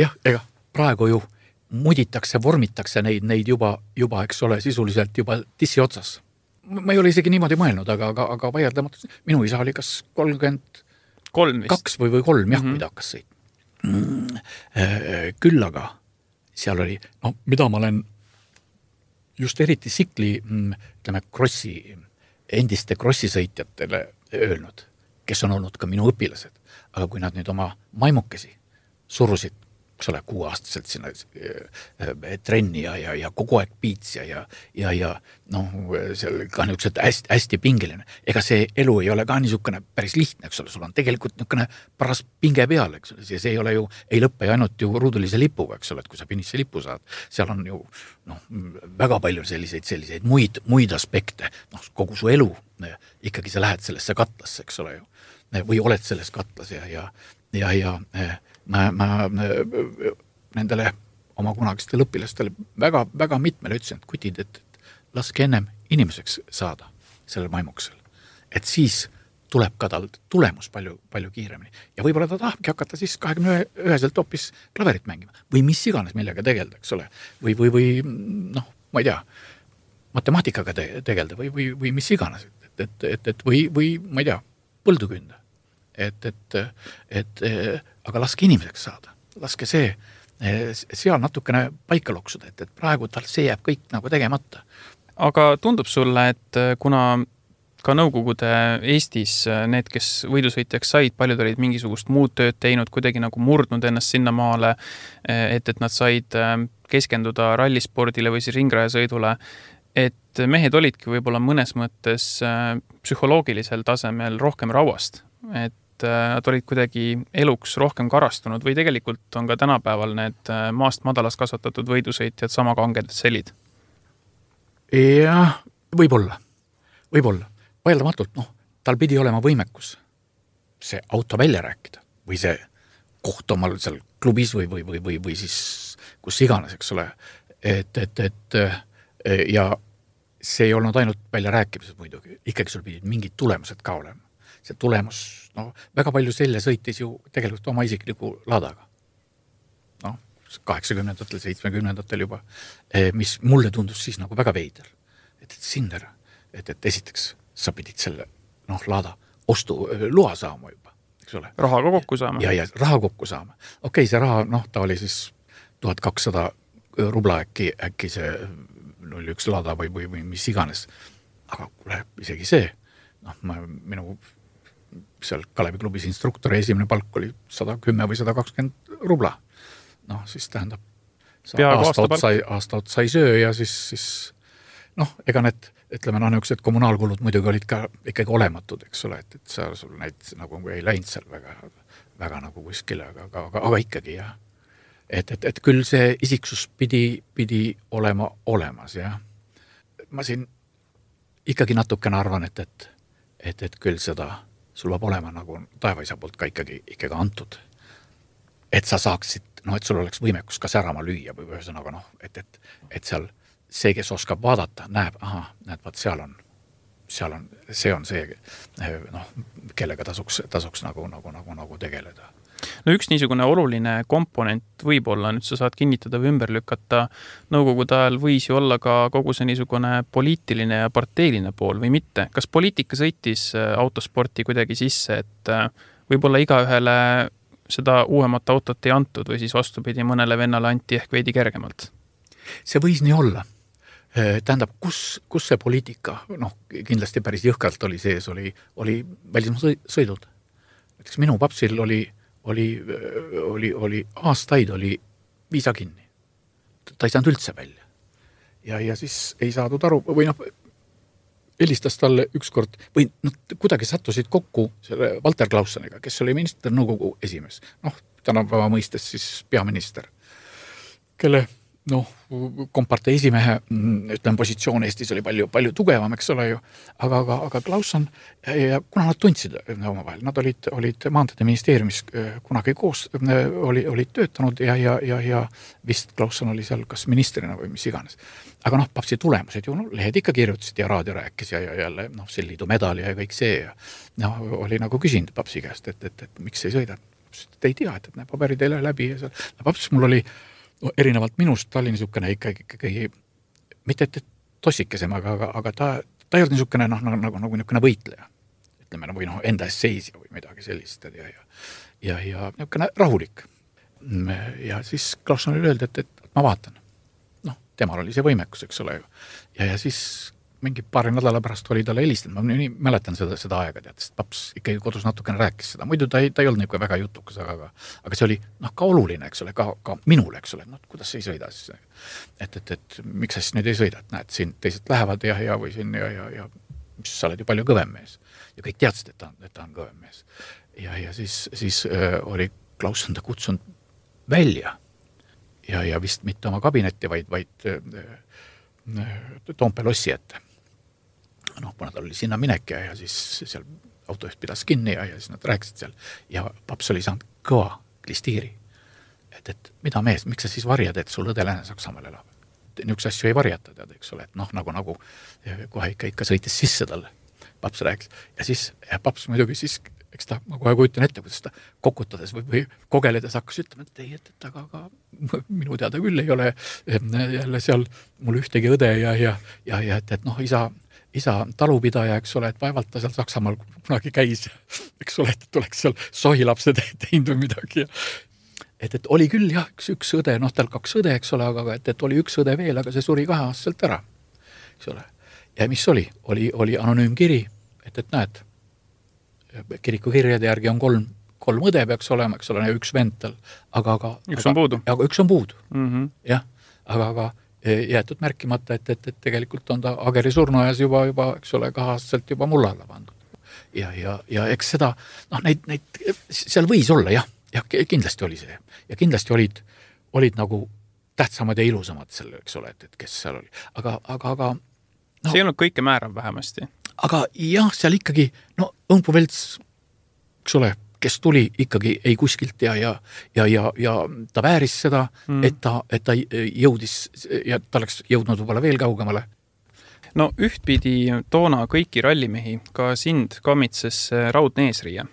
jah, ega praegu ju muditakse, vormitakse neid, neid juba, juba, eks ole, sisuliselt juba tissi otsas. Ma ei ole isegi niimoodi mõelnud, aga, aga, aga vaieldamatult, minu isa oli kas kolmkümmend kaks või, või kolm, jah, mm-hmm. kui ta hakkas sõit. Mm, küll aga seal oli, no mida ma olen just eriti sikli, ütleme, krossi, endiste krossisõitjatele öelnud, kes on olnud ka minu õpilased, aga kui nad nüüd oma maimukesi surusid, eks ole, kuueaastaselt sinna trenni ja, ja, ja kogu aeg piits ja, ja, ja, ja noh, seal ka niisugused hästi, hästi pingeline. Ega see elu ei ole ka niisugune päris lihtne, eks ole, sul on tegelikult niisugune paras pinge peal, eks ole, see ei ole ju, ei lõppe ainult ju ruudulise lipuga, eks ole, et kui sa finiši lipu saad, seal on ju noh, väga palju selliseid, selliseid muid, muid aspekte, noh, kogu su elu, ikkagi sa lähed sellesse katlasse, eks ole ju, või oled selles katlas ja, ja, ja, ja ma, ma nendele oma kunagistele õpilastele väga, väga mitmele ütlesin, et kutid, et, et laske ennem inimeseks saada sellel maimuksel. Et siis tuleb ka tal tulemus palju, palju kiiremini. Ja võib-olla ta tahabki hakata siis kahekümne üheselt hoopis klaverit mängima. Või mis iganes millega tegelda, eks ole. Või, või, või noh, ma ei tea, matemaatikaga te, tegelda või, või, või mis iganes. Et, et, et, et või, või ma ei tea, põldu künda. Et, et, et, aga laske inimeseks saada. Laske see, seal natukene paika loksuda, et, et praegu tal see jääb kõik nagu tegemata. Aga tundub sulle, et kuna ka nõukogude Eestis need, kes võidusõitjaks said, paljud olid mingisugust muud tööd teinud, kuidagi nagu murdnud ennast sinna maale, et, et nad said keskenduda rallispordile või siis ringrajasõidule, et mehed olidki võib-olla mõnes mõttes psühholoogilisel tasemel rohkem rauast, et nad olid kuidagi eluks rohkem karastunud või tegelikult on ka tänapäeval need maast madalas kasvatatud võidusõitjad sama kanged selid? Jah, võib-olla, võib-olla. Vaieldamatult, noh, tal pidi olema võimekus see auto välja rääkida või see koht omal seal klubis või, või, või, või, või siis kus iganes, eks ole. Et, et, et ja see ei olnud ainult välja rääkimised muidugi, ikkagi sul pidid mingid tulemused ka olema. See tulemus, no väga palju selle sõitis ju tegelikult oma isikliku laadaga. Noh, kaheksakümnendatel, seitsmekümnendatel juba, mis mulle tundus siis nagu väga veider. Et, et Sinder, et, et esiteks sa pidid selle, noh, laada ostu loa saama juba, eks ole. Raha kokku saama. Ja, ja raha kokku saama. Okei, see raha, noh, ta oli siis tuhat kakssada rubla äkki, äkki see null üks laada või, või, või mis iganes. Aga läheb isegi see, noh, ma, minu seal Kalevi klubis instruktori esimene palk oli sada kümme või sada kakskümmend rubla. Noh, siis tähendab, aasta otsa, aasta otsa ei söö ja siis, siis noh, ega need, ütleme, noh, niisugused kommunaalkulud muidugi olid ka ikkagi olematud, eks ole, et, et sa sul neid nagu ei läinud seal väga, väga nagu kuskile, aga, aga, aga, aga ikkagi, jah. Et, et, et küll see isiksus pidi, pidi olema olemas, jah. Ma siin ikkagi natukene arvan, et, et, et, et küll seda sul peab olema nagu taevaisa poolt ka ikkagi, ikkagi antud. Et sa saaksid, noh, et sul oleks võimekus ka särama lüüa või ühesõnaga, noh, et, et, et seal see, kes oskab vaadata, näeb, aha, näed, vaat seal on, seal on, see on see, noh, kellega tasuks, tasuks nagu, nagu, nagu, nagu tegeleda. No üks niisugune oluline komponent võib-olla, nüüd sa saad kinnitada või ümber lükata, nõukogude ajal võis ju olla ka kogu see niisugune poliitiline ja parteiline pool või mitte. Kas poliitika sõitis autosporti kuidagi sisse, et võib-olla igaühele seda uuemat autot ei antud või siis vastupidi mõnele vennale anti ehk veidi kergemalt? See võis nii olla. Tähendab, kus, kus see poliitika, noh, kindlasti päris jõhkralt oli sees, oli, oli välismaa sõidud. Näiteks minu papsil oli oli, oli, oli aastaid oli viisa kinni. Ta ei saanud üldse välja. Ja, ja siis ei saadud aru, või noh, helistas talle ükskord, või noh, kuidagi sattusid kokku selle Walter Klaussoniga, kes oli minister nõukogu esimees. Noh, tänapäeva mõistes siis peaminister, kelle noh, kompartei esimehe, ütleme, positsioon Eestis oli palju, palju tugevam, eks ole ju, aga, aga, aga Klausson, ja kuna nad tundsid omavahel, nad olid, olid maanteede ministeeriumis kunagi koos, oli, olid töötanud ja, ja, ja, ja vist Klausson oli seal kas ministrina või mis iganes. Aga noh, papsi tulemused ju, no, lehed ikka kirjutasid ja raadio rääkis ja, ja jälle, noh, see liidu medali ja kõik see ja noh, oli nagu küsinud papsi käest, et, et, et miks ei sõida. Te ei tea, et, et need paberid ei lähe läbi ja seal. No, paps mul oli no, erinevalt minust, ta oli niisugune ikkagi, ikkagi mitte et tossikesem, aga, aga, aga ta, ta ei olnud niisugune noh, nagu, nagu, nagu niisugune võitleja. Ütleme, või noh, enda eest seisja või midagi sellist ja, ja, ja, ja niisugune rahulik. Ja siis Klaussonile öeldi, et, et ma vaatan. Noh, temal oli see võimekus, eks ole ju. Ja, ja siis mingi paari nädala pärast oli talle helistanud, ma nii mäletan seda, seda aega, tead, sest paps ikkagi kodus natukene rääkis seda, muidu ta ei, ta ei olnud niisugune väga jutukas, aga, aga see oli noh, ka oluline, eks ole, ka, ka minule, eks ole, no kuidas ei sõida siis, et, et, et miks sa siis nüüd ei sõida, et näed, siin teised lähevad ja, ja või siin ja, ja, ja mis sa oled ju palju kõvem mees ja kõik teadsid, et ta on, et ta on kõvem mees ja, ja siis, siis äh, oli Klausson ta kutsunud välja ja, ja vist mitte oma kabinetti, vaid, vaid äh, Toompea lossi ette. Noh, kuna tal oli sinna minek ja, ja siis seal autojuht pidas kinni ja, ja siis nad rääkisid seal ja paps oli saanud kõva klistiiri. Et, et mida mees, miks sa siis varjad, et sul õde Lääne Saksamaal elab? Niisuguse asju ei varjata, tead, eks ole, et noh, nagu, nagu kohe ikka, ikka sõitis sisse talle. Paps rääkis ja siis ja paps muidugi siis, eks ta, ma kohe kujutan ette, kuidas ta kokutades või, või kogeledes hakkas ütlema, et ei, et, et aga, aga minu teada küll ei ole jälle seal mul ühtegi õde ja, ja, ja, ja et, et noh, isa isa talupidaja, eks ole, et vaevalt ta seal Saksamaal kunagi käis, eks ole, et oleks seal sohilapsed teinud või midagi. Et, et oli küll jah, üks, üks õde, noh tal kaks õde, eks ole, aga et, et oli üks õde veel, aga see suri kahe aastaselt ära, eks ole. Ja mis oli? Oli, oli anonüümkiri, et, et näed, kirikukirjade järgi on kolm, kolm õde peaks olema, eks ole, ja üks vend tal, aga, aga üks aga, on puudu. Aga üks on puudu, mm-hmm. jah, aga, aga jäetud märkimata, et, et, et tegelikult on ta Ageri surnuajas juba, juba, eks ole, kahaselt juba mulla alla pandud. Ja, ja, ja eks seda, noh, neid, neid, seal võis olla, jah, jah, kindlasti oli see. Ja kindlasti olid, olid nagu tähtsamad ja ilusamad selle, eks ole, et, et kes seal oli. Aga, aga, aga no, see ei olnud kõike määrav vähemasti. Aga jah, seal ikkagi, no Õmpu Velts, eks ole, kes tuli ikkagi ei kuskilt ja, ja, ja, ja, ja ta vääris seda, mm. et, ta, et ta jõudis ja ta oleks jõudnud võib-olla veel kaugemale. No ühtpidi toona kõiki rallimehi, ka sind kamitses raudne eesriie.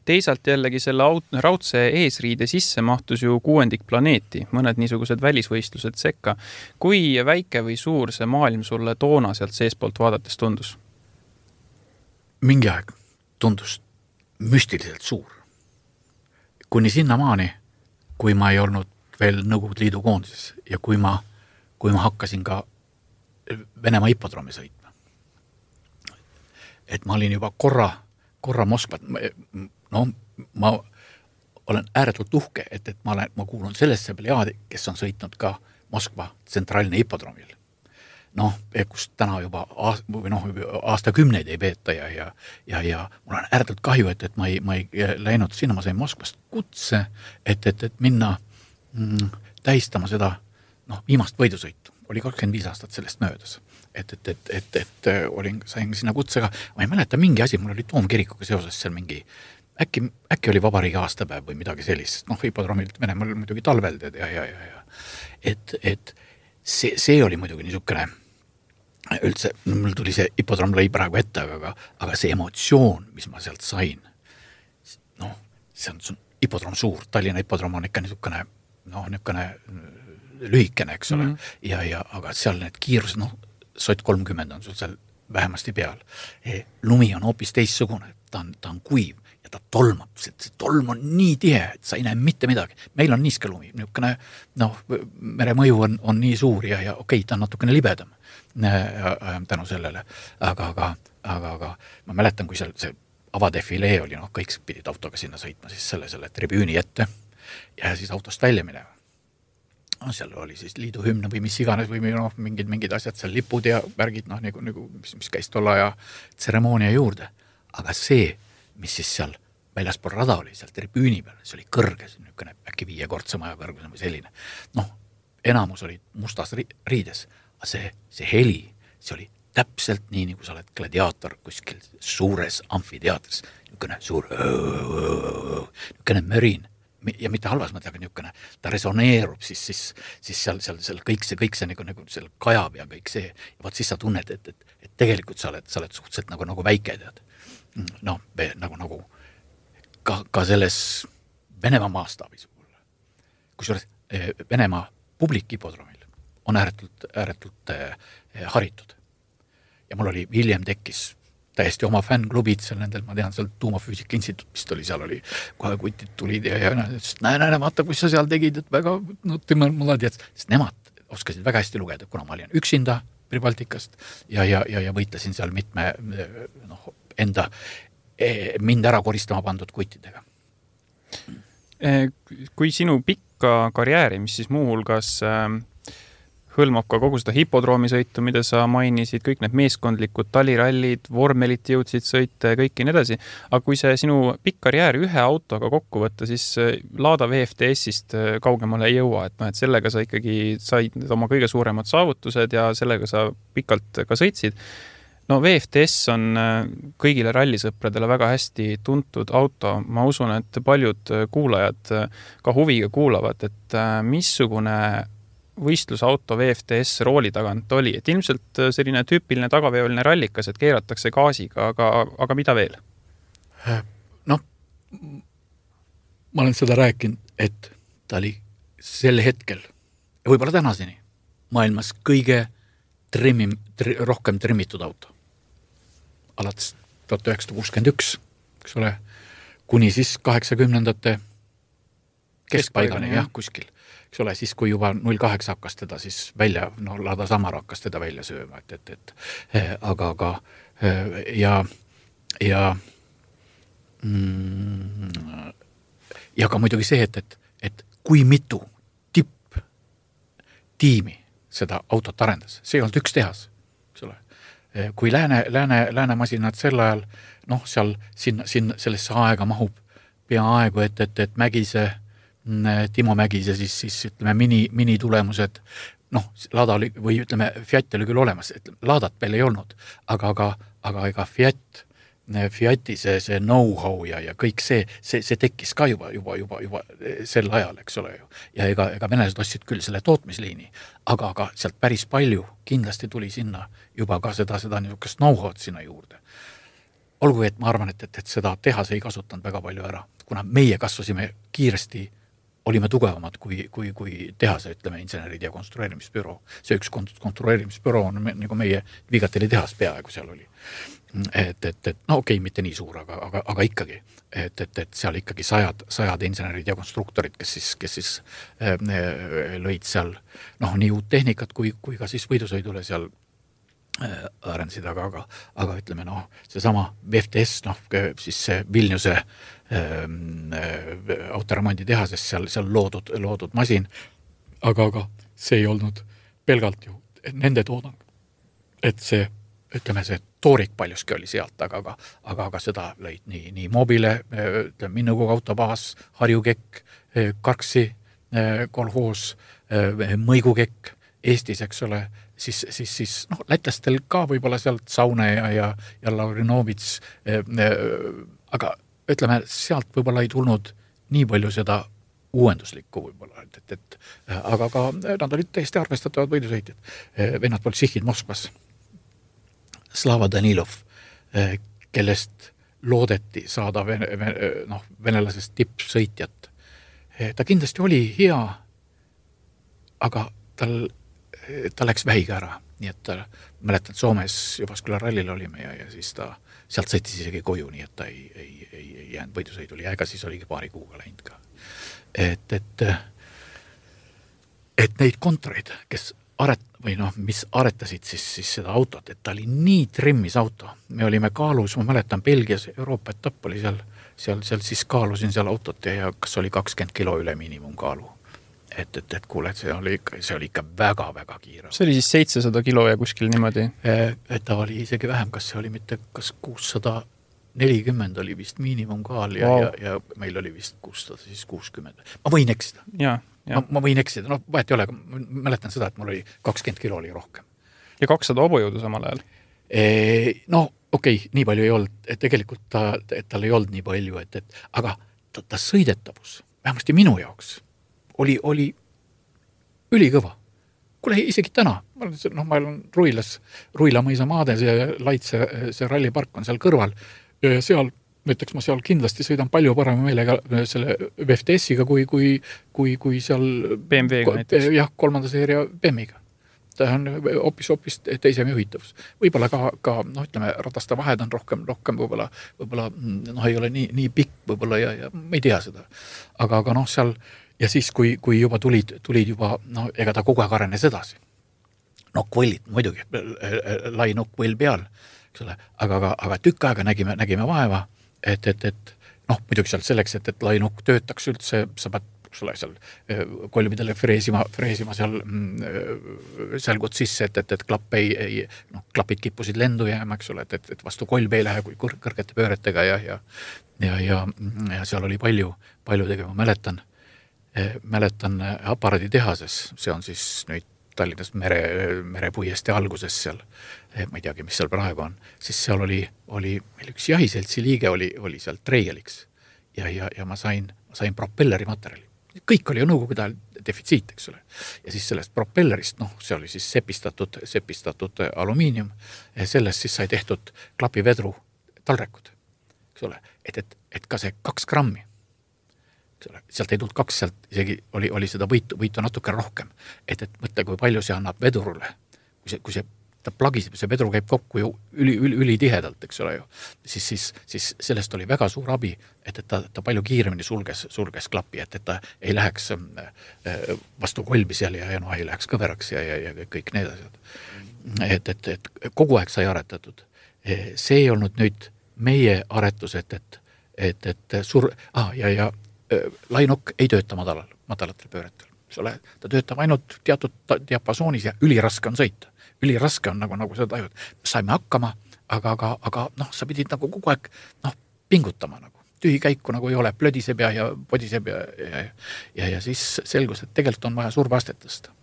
Teisalt jällegi selle raudse eesriide sisse mahtus ju kuuendik planeeti, mõned niisugused välisvõistlused sekka. Kui väike või suur see maailm sulle toona sealt seespoolt vaadates tundus? Mingi aeg tundus müstiliselt suur. Kuni sinna maani, kui ma ei olnud veel Nõukogude Liidu koondises ja kui ma, kui ma hakkasin ka Venemaa hipodroomi sõitma. Et ma olin juba korra, korra Moskvat, no ma olen ääretult uhke, et, et ma, olen, ma kuulun sellesse plejaadi, kes on sõitnud ka Moskva tsentraalne hipodroomil. Noh, kus täna juba aast, või noh, aastakümneid ei peeta ja, ja, ja, ja mul on ääretult kahju, et, et ma ei, ma ei läinud sinna, ma sain Moskvast kutse, et, et, et minna mm, tähistama seda noh, viimast võidusõitu. Oli kakskümmend viis aastat sellest möödas. et, et, et, et, et olin, sain sinna kutsega, ma ei mäleta mingi asi, mul oli Toomkirikuga seoses seal mingi, äkki, äkki oli vabariigi aastapäev või midagi sellist, noh, hipodroomilt Venemaal muidugi talvelded ja, ja, ja, ja. Et, et see, see oli muidugi niisugune, üldse, mul tuli see hipodroom lõi praegu ette, aga, aga see emotsioon, mis ma sealt sain, noh, see on, see on hipodroom suur, Tallinna hipodroom on ikka niisugune, noh, niisugune lühikene, eks ole, mm-hmm. ja, ja, aga seal need kiirus, noh, sott kolmkümmend on sul seal vähemasti peal. E, lumi on hoopis teissugune, ta on, ta on kuiv ja ta tolmab, see, see tolm on nii tihe, et sa ei näe mitte midagi. Meil on niiske lumi, niisugune, noh, mere mõju on, on nii suur ja, ja okei, ta on natukene libedam tänu sellele, aga, aga, aga, aga ma mäletan, kui seal see avadefilee oli, noh, kõik pidid autoga sinna sõitma siis selle, selle tribüüni ette ja siis autost välja minema. No, seal oli siis liidu hümne või mis iganes või noh, mingid, mingid asjad seal lipud ja värgid, noh, nagu, nagu, mis, mis käis tolla ja tseremoonia juurde. Aga see, mis siis seal väljaspool rada oli, seal tribüüni peal, see oli kõrge, see niisugune äkki viiekordse maja kõrguse või selline. Noh, enamus oli mustas riides, aga see, see heli, see oli täpselt nii, nagu sa oled gladiaator kuskil suures amfiteatris, niisugune suur niisugune mörin. Ja mitte halvas mõte, aga niisugune, ta resoneerub siis, siis, siis seal, seal, seal kõik see, kõik see nagu, nagu seal kajab ja kõik see, ja vaat siis sa tunned, et, et, et tegelikult sa oled, sa oled suhteliselt nagu, nagu väike, tead. Noh, nagu, nagu ka, ka selles Venemaa maastaabis. Kusjuures Venemaa publikhipodroomil on ääretult, ääretult haritud. Ja mul oli, hiljem tekkis täiesti oma fännklubid seal nendel, ma tean, seal tuumafüüsika instituut, mis oli, seal oli, kohe kutid tulid ja, ja näe, näe, vaata, kus sa seal tegid, et väga, no tema mulle tead, sest nemad oskasid väga hästi lugeda, kuna ma olin üksinda Pribaltikast ja, ja, ja, ja võitlesin seal mitme, noh, enda, mind ära koristama pandud kuttidega. Kui sinu pikka karjääri, mis siis muuhulgas hõlmab ka kogu seda hipodroomisõitu, mida sa mainisid, kõik need meeskondlikud talirallid, vormelit jõudsid sõita ja kõik nii edasi. Aga kui see sinu pikk karjäär ühe autoga kokku võtta, siis Lada V F T S-ist kaugemale ei jõua, et, no, et sellega sa ikkagi said oma kõige suuremad saavutused ja sellega sa pikalt ka sõitsid. No V F T S on kõigile rallisõpradele väga hästi tuntud auto. Ma usun, et paljud kuulajad ka huviga kuulavad, et missugune võistlusauto V F T S rooli tagant oli, et ilmselt selline tüüpiline tagaveoline rallikas, et keeratakse gaasiga, aga, aga mida veel? Noh, ma olen seda rääkinud, et ta oli sel hetkel ja võib-olla tänaseni maailmas kõige trimim, tri, rohkem trimmitud auto. Alates tuhat üheksasada kuuskümmend üks, eks ole, kuni siis kaheksakümnendate keskpaigani, jah, kuskil. Eks ole, siis kui juba null kaheksa hakkas teda siis välja, no Lada Samar hakkas teda välja sööma, et, et, et aga, aga ja, ja mm, ja ka muidugi see, et, et, et kui mitu tipp tiimi seda autot arendas, see ei olnud üks tehas, eks ole. Kui lääne, lääne, lääne masinad sel ajal, noh, seal sinna, sinna, sellesse aega mahub peaaegu, et, et, et Mägise Timo Mägise siis, siis ütleme mini, mini tulemused, noh, Lada oli, või ütleme, Fiat oli küll olemas, et Ladat veel ei olnud, aga, aga, aga ega Fiat, Fiati see, see know-how ja, ja kõik see, see, see tekkis ka juba, juba, juba, juba sel ajal, eks ole ju. Ja ega, ega venelased ostsid küll selle tootmisliini, aga, aga sealt päris palju kindlasti tuli sinna juba ka seda, seda niisugust know-how'd sinna juurde. Olgu, et ma arvan, et, et, et seda tehas ei kasutanud väga palju ära, kuna meie kasvasime kiiresti, olime tugevamad kui, kui, kui tehase, ütleme, insenerid ja konstrueerimisbüroo. See üks konstrueerimisbüroo on nagu meie Vigateli tehas peaaegu seal oli. Et, et, et no okei, mitte nii suur, aga, aga, aga ikkagi. Et, et, et seal ikkagi sajad, sajad insenerid ja konstruktorid, kes siis, kes siis äh, lõid seal noh, nii uut tehnikat kui, kui ka siis võidusõidule seal äh, arendasid, aga, aga, aga ütleme, noh, seesama V F T S, noh, siis see Vilniuse autoremondi tehases seal, seal loodud, loodud masin, aga, aga see ei olnud pelgalt ju nende toodang. Et see, ütleme, see toorik paljuski oli sealt, aga, aga, aga, aga seda lõid nii, nii Mobile, ütleme, Minnugu autobaas, Harjukekk, Karksi kolhoos, Mõigukekk Eestis, eks ole, siis, siis, siis noh, lätlastel ka võib-olla sealt Saune ja, ja, ja Laurinovits, aga ütleme, sealt võib-olla ei tulnud nii palju seda uuenduslikku võib-olla, et, et, et aga ka nad olid täiesti arvestatavad võidusõitjad. Vennad Boltšihhid Moskvas, Slava Danilov, kellest loodeti saada vene, vene, noh, venelasest tippsõitjat. Ta kindlasti oli hea, aga tal, ta läks vähiga ära. Nii et ta, mäletan, Soomes Jyväskylän rallil olime ja, ja siis ta sealt sõitis isegi koju, nii et ta ei, ei, ei, ei jäänud võidusõiduli ja ega siis oligi paari kuuga läinud ka. Et, et, et neid kontoreid, kes aret, või noh, mis aretasid siis, siis seda autot, et ta oli nii trimmis auto. Me olime kaalus, ma mäletan, Belgias Euroopa etapp oli seal, seal, seal siis kaalusin seal autot ja, ja kas oli kakskümmend kilo üle miinimumkaalu. Et, et, et kuule, see oli ikka, see oli ikka väga, väga kiire. See oli siis seitsesada kilo ja kuskil niimoodi? Et ta oli isegi vähem, kas see oli mitte, kas kuussada nelikümmend oli vist miinimumkaal ja, wow. ja, ja meil oli vist kuussada kuuskümmend. Ma võin eksida. Ja, ja. Ma, ma võin eksida. No vahet ei ole, ma mäletan seda, et mul oli kakskümmend kilo oli rohkem. Ja kakssada hobujõudu samal ajal? E, no okei, okay, nii palju ei olnud. Et tegelikult ta, et tal ei olnud nii palju, et, et, aga ta, ta sõidetavus, vähemasti minu jaoks, oli, oli ülikõva. Kuule, isegi täna, noh, ma olen Ruilas, Ruila mõisa maade, see Laitse, see rallipark on seal kõrval, ja seal, ütleks ma seal kindlasti sõidan palju parema meelega selle V F T S-iga kui, kui, kui, kui seal B M W-ga näiteks. Jah, kolmanda seeria B M W-ga. Ta on hoopis, hoopis teisem juhitavus. Võib-olla ka, ka noh, ütleme, rataste vahed on rohkem, rohkem võib-olla, võib-olla noh, ei ole nii, nii pikk võib-olla ja, ja ma ei tea seda. Aga, aga noh, seal ja siis, kui, kui juba tulid, tulid juba, noh, ega ta kogu aeg arenes edasi. Nokkvõllid, muidugi, lai nokkvõll peal. Aga, aga, aga tükk aega nägime, nägime vaeva, et, et, et noh, muidugi seal selleks, et, et lainuk töötaks üldse, sa pead sulle seal kolmidele freesima, freesima seal selgud sisse, et, et, et klapp ei, ei, noh, klapid kippusid lendu jääma, eks ole, et, et, et vastu kolb ei lähe kui kõrgete pööretega ja, ja, ja, ja, ja seal oli palju, palju tegema, mäletan, mäletan aparaaditehases, see on siis nüüd Tallinnas mere, merepuiesti alguses seal, ma ei teagi, mis seal praegu on, siis seal oli, oli meil üks jahiseltsi liige oli, oli seal treieliks ja, ja, ja ma sain, ma sain propelleri materjali. Kõik oli ju nõukogude ajal defitsiit, eks ole. Ja siis sellest propellerist, noh, see oli siis sepistatud, sepistatud alumiinium, ja sellest siis sai tehtud klapivedru talrekud, eks ole, et, et, et ka see kaks grammi, sealt ei tulnud kaks, sealt isegi oli, oli seda võitu, võitu natuke rohkem. Et, et mõtle, kui palju see annab vedurule. Kui see, kui see ta plagiseb, see vedru käib kokku ju üli, üli, üli tihedalt, eks ole ju. Siis, siis, siis sellest oli väga suur abi, et, et ta, ta palju kiiremini sulges, sulges klappi, et, et ta ei läheks vastu kolbi seal ja, ja no, ei läheks kõveraks ja, ja, ja kõik need asjad. Et, et, et kogu aeg sai aretatud. See ei olnud nüüd meie aretus, et, et, et, et sur... Ah, ja, ja lainok ei tööta madalal, madalatel pööretel. Ta töötab ainult teatud diapasoonis ja üliraske on sõita. Üliraske on nagu, nagu seda tajud. Saime hakkama, aga, aga, aga noh, sa pidid nagu kogu aeg noh, pingutama nagu. Tühi käiku nagu ei ole, plödiseb ja, ja podiseb ja, ja, ja, ja siis selgus, et tegelikult on vaja surveastet tõsta.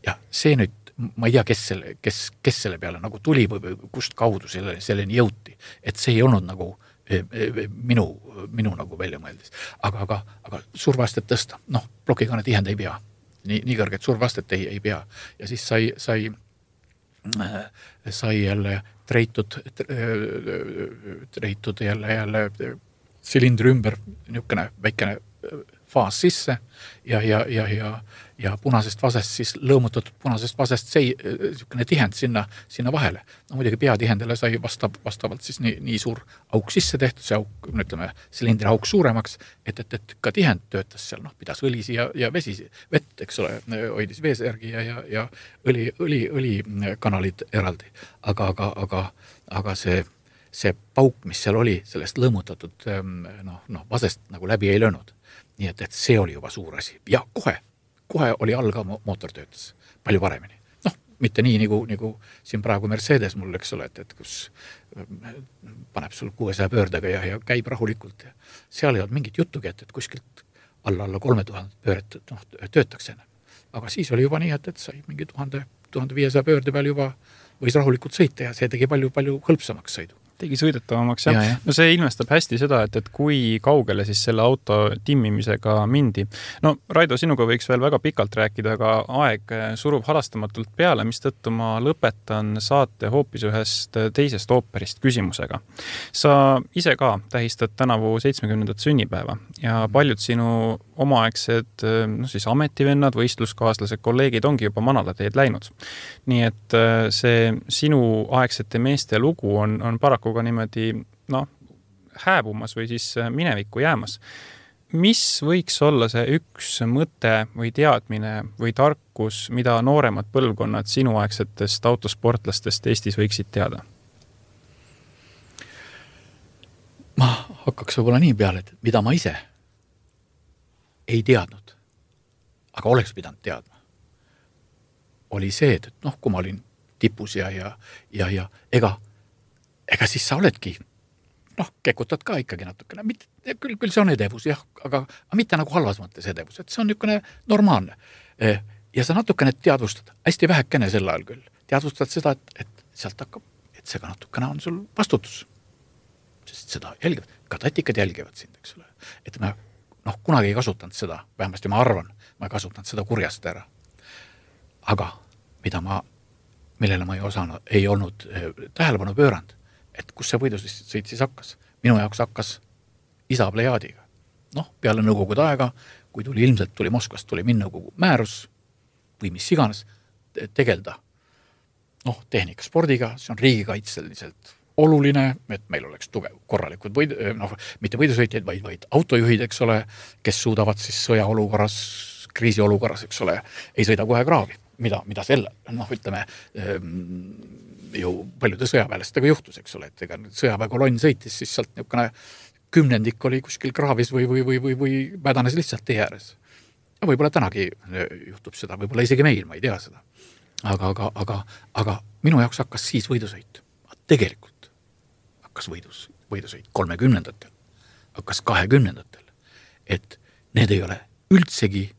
Ja see nüüd, ma ei tea, kes selle, kes, kes selle peale nagu tuli või kust kaudu selle, selleni jõuti. Et see ei olnud nagu minu, minu nagu välja mõeldis. Aga, aga, aga survastet tõsta, noh, plokikane tihend ei pea. Nii, nii kõrget survastet ei, ei pea. Ja siis sai, sai, sai jälle treitud, treitud jälle, jälle silindri ümber niisugune väikene faas sisse ja, ja, ja, ja, ja punasest vasest siis lõõmutatud punasest vasest see niisugune tihend sinna, sinna vahele. No muidugi peatihendele sai vastab, vastavalt siis nii, nii suur auk sisse tehtud, see auk, ütleme, silindri auk suuremaks, et, et, et ka tihend töötas seal, noh, pidas õlisi ja, ja vesi, vett, eks ole, hoidis veesärgi ja, ja, ja õli, õli, õlikanalid eraldi. Aga, aga, aga, aga see, see pauk, mis seal oli, sellest lõõmutatud noh, noh, vasest nagu läbi ei löönud. Nii et, et see oli juba suur asi. Ja kohe, kohe oli all ka mootor töötas. Palju paremini. Noh, mitte nii, nagu, nagu siin praegu Mercedes mul, eks ole, et, et kus paneb sul kuuesaja pöördega ja, ja käib rahulikult. Ja seal ei olnud mingit juttugi, et, et kuskilt alla, alla kolme tuhande pööret noh, töötaks enne. Aga siis oli juba nii, et, et sai mingi tuhande tuhande viiesaja pöörde peal juba võis rahulikult sõita ja see tegi palju-palju hõlpsamaks sõidu. Tegi sõidetavamaks, jah. Ja, ja. No see ilmestab hästi seda, et, et kui kaugele siis selle auto timmimisega mindi. No Raido, sinuga võiks veel väga pikalt rääkida, aga aeg surub halastamatult peale, mis tõttu ma lõpetan saate hoopis ühest teisest ooperist küsimusega. Sa ise ka tähistad tänavu seitsmekümnendat sünnipäeva ja paljud sinu omaaegsed no siis ametivennad, võistluskaaslased, kolleegid ongi juba manalateed läinud. Nii et see sinu aegsete meeste lugu on, on paraku ka niimoodi no, hääbumas või siis minevikku jäämas. Mis võiks olla see üks mõte või teadmine või tarkus, mida nooremad põlvkonnad sinuaegsetest autosportlastest Eestis võiksid teada? Ma hakkaks võib-olla nii peale, et mida ma ise ei teadnud, aga oleks pidanud teadma, oli see, et noh, kui ma olin tipus ja, ja, ja, ja ega ega siis sa oledki, noh, kekutad ka ikkagi natukene, mitte, küll, küll see on edevus, jah, aga, aga mitte nagu halvas mõttes edevus, et see on niisugune normaalne. Ja sa natukene teadvustad, hästi vähekene sel ajal küll, teadvustad seda, et, et sealt hakkab, et see ka natukene on sul vastutus. Sest seda jälgivad, ka tatikad jälgivad sind, eks ole. Et ma, noh, kunagi ei kasutanud seda, vähemasti ma arvan, ma ei kasutanud seda kurjast ära. Aga mida ma, millele ma ei osanud, ei olnud tähelepanu pööranud, et kus see võidusõit siis hakkas. Minu jaoks hakkas isa plejaadiga. Noh, peale nõukogude aega, kui tuli ilmselt tuli Moskvast, tuli minnõukogu määrus või mis iganes tegelda noh, tehnikaspordiga, see on riigikaitseliselt oluline, et meil oleks tugev korralikud võid, noh, mitte võidusõitjaid, vaid, vaid autojuhid, eks ole, kes suudavad siis sõjaolukorras, kriisiolukorras, eks ole, ei sõida kohe kraavi, mida, mida selle, noh, ütleme, ju paljude sõjaväelastega juhtus, eks ole, et ega sõjaväekolonn sõitis, siis sealt niisugune kümnendik oli kuskil kraavis või, või, või, või, või vädanes lihtsalt tee ääres. Ja võib-olla tänagi juhtub seda, võib-olla isegi meil, ma ei tea seda. Aga, aga, aga, aga minu jaoks hakkas siis võidusõit. Tegelikult hakkas võidus, võidusõit kolmekümnendatel, hakkas kahekümnendatel, et need ei ole üldsegi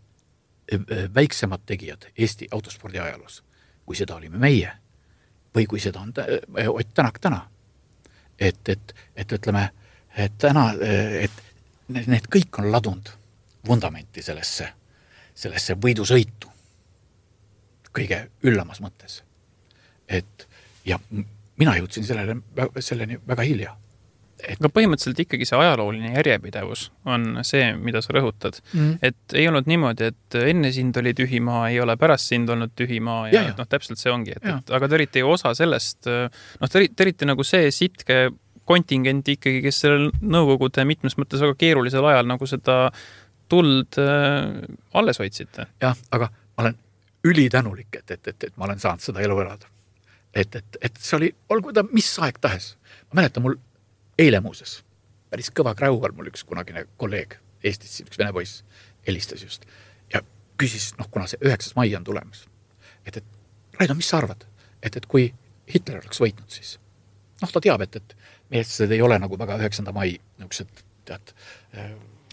väiksemad tegijad Eesti autospordi ajaloos, kui seda olime meie või kui seda on Ott Tänak täna. Et, et, et ütleme, et täna, et need kõik on ladunud vundamenti sellesse, sellesse võidusõitu kõige üllamas mõttes. Et ja mina jõudsin sellele, selleni väga hilja. Et... Aga põhimõtteliselt ikkagi see ajalooline järjepidevus on see, mida sa rõhutad. Mm. Et ei olnud niimoodi, et enne sind oli tühimaa, ei ole pärast sind olnud tühimaa ja, ja, ja. noh, täpselt see ongi. Et, et, aga te olite ju osa sellest, noh, te olite nagu see sitke kontingent ikkagi, kes sellel nõukogude mitmes mõttes väga keerulisel ajal nagu seda tuld äh, alles hoidsite. Jah, aga ma olen ülitänulik, et, et, et, et ma olen saanud seda elu elada. Et, et, et see oli, olgu ta mis aeg tahes. Ma mäletan mul eile muuses, päris kõva kräuval mul üks kunagine kolleeg Eestis, üks vene poiss, helistas just ja küsis, noh, kuna see üheksas mai on tulemas, et, et Raido, mis sa arvad, et, et kui Hitler oleks võitnud, siis noh, ta teab, et, et meestlased ei ole nagu väga üheksanda mai niisugused, tead,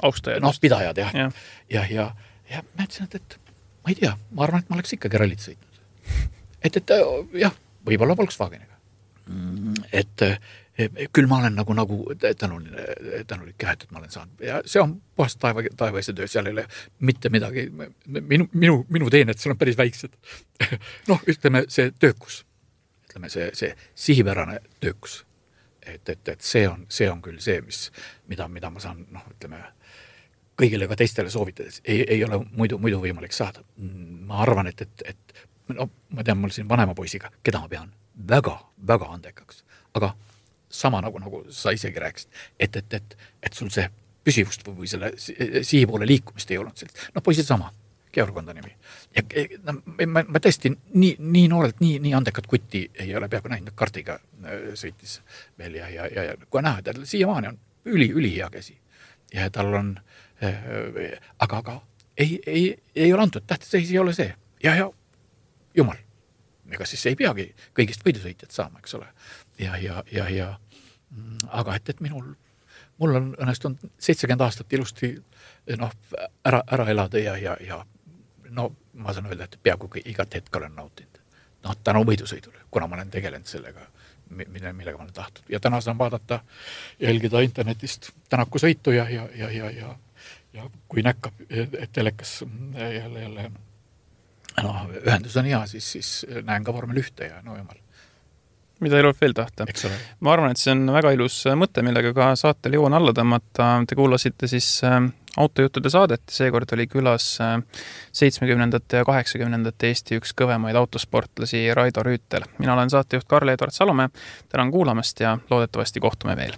austajad, noh, pidajad, jah. Ja, ja, ja, ja ma ütlesin, et, et ma ei tea, ma arvan, et ma oleks ikkagi rallit sõitnud. Et, et jah, võib-olla Volkswageniga. Et küll ma olen nagu, nagu tänulik, tänulik jah, et ma olen saanud. Ja see on puhast taeva, taevaise töö, seal ei ole mitte midagi, minu, minu, minu teened, seal on päris väiksed. noh, ütleme see töökus, ütleme see, see sihipärane töökus. Et, et, et see on, see on küll see, mis, mida, mida ma saan, noh, ütleme, kõigile ka teistele soovitades, ei, ei ole muidu, muidu võimalik saada. Ma arvan, et, et, et no, ma tean, mul siin vanema poisiga, keda ma pean väga, väga andekaks, aga sama nagu, nagu sa isegi rääkisid, et, et, et, et sul see püsivust või selle sihi poole liikumist ei olnud sellist. No poisid sama, Georg on ta nimi. Ja no, ma, ma tõesti nii, nii noorelt, nii, nii andekat kutti ei ole peaaegu näinud, kartiga sõitis veel ja, ja, ja, ja kui näha, tal siiamaani on üli, üli hea käsi. Ja tal on, aga, aga ei, ei, ei ole antud, tähtis ei ole see. Ja, ja, jumal, ega siis ei peagi kõigist võidusõitjad saama, eks ole. Ja, ja, ja, ja, aga et, et minul, mul on õnnestunud seitsekümmend aastat ilusti noh, ära, ära elada ja, ja, ja no ma saan öelda, et peaaegu igat hetk olen nautinud. noh, tänu võidusõidule, kuna ma olen tegelenud sellega, millega ma olen tahtnud. Ja täna saan vaadata, jälgida internetist Tänaku sõitu ja, ja, ja, ja, ja, ja kui näkkab, et telekas jälle, jälle no, ühendus on hea, siis, siis näen ka vormel ühte ja no jumal. Mida ei ole veel tahta. Ma arvan, et see on väga ilus mõte, millega ka saatel joon alla tõmmata. Te kuulasite siis autojuttude saadet. Seekord oli külas seitsmekümnendate ja kaheksakümnendate Eesti üks kõvemaid autosportlasi Raido Rüütel. Mina olen saatejuht Karl-Edvard Salome. Tänan kuulamast ja loodetavasti kohtume veel.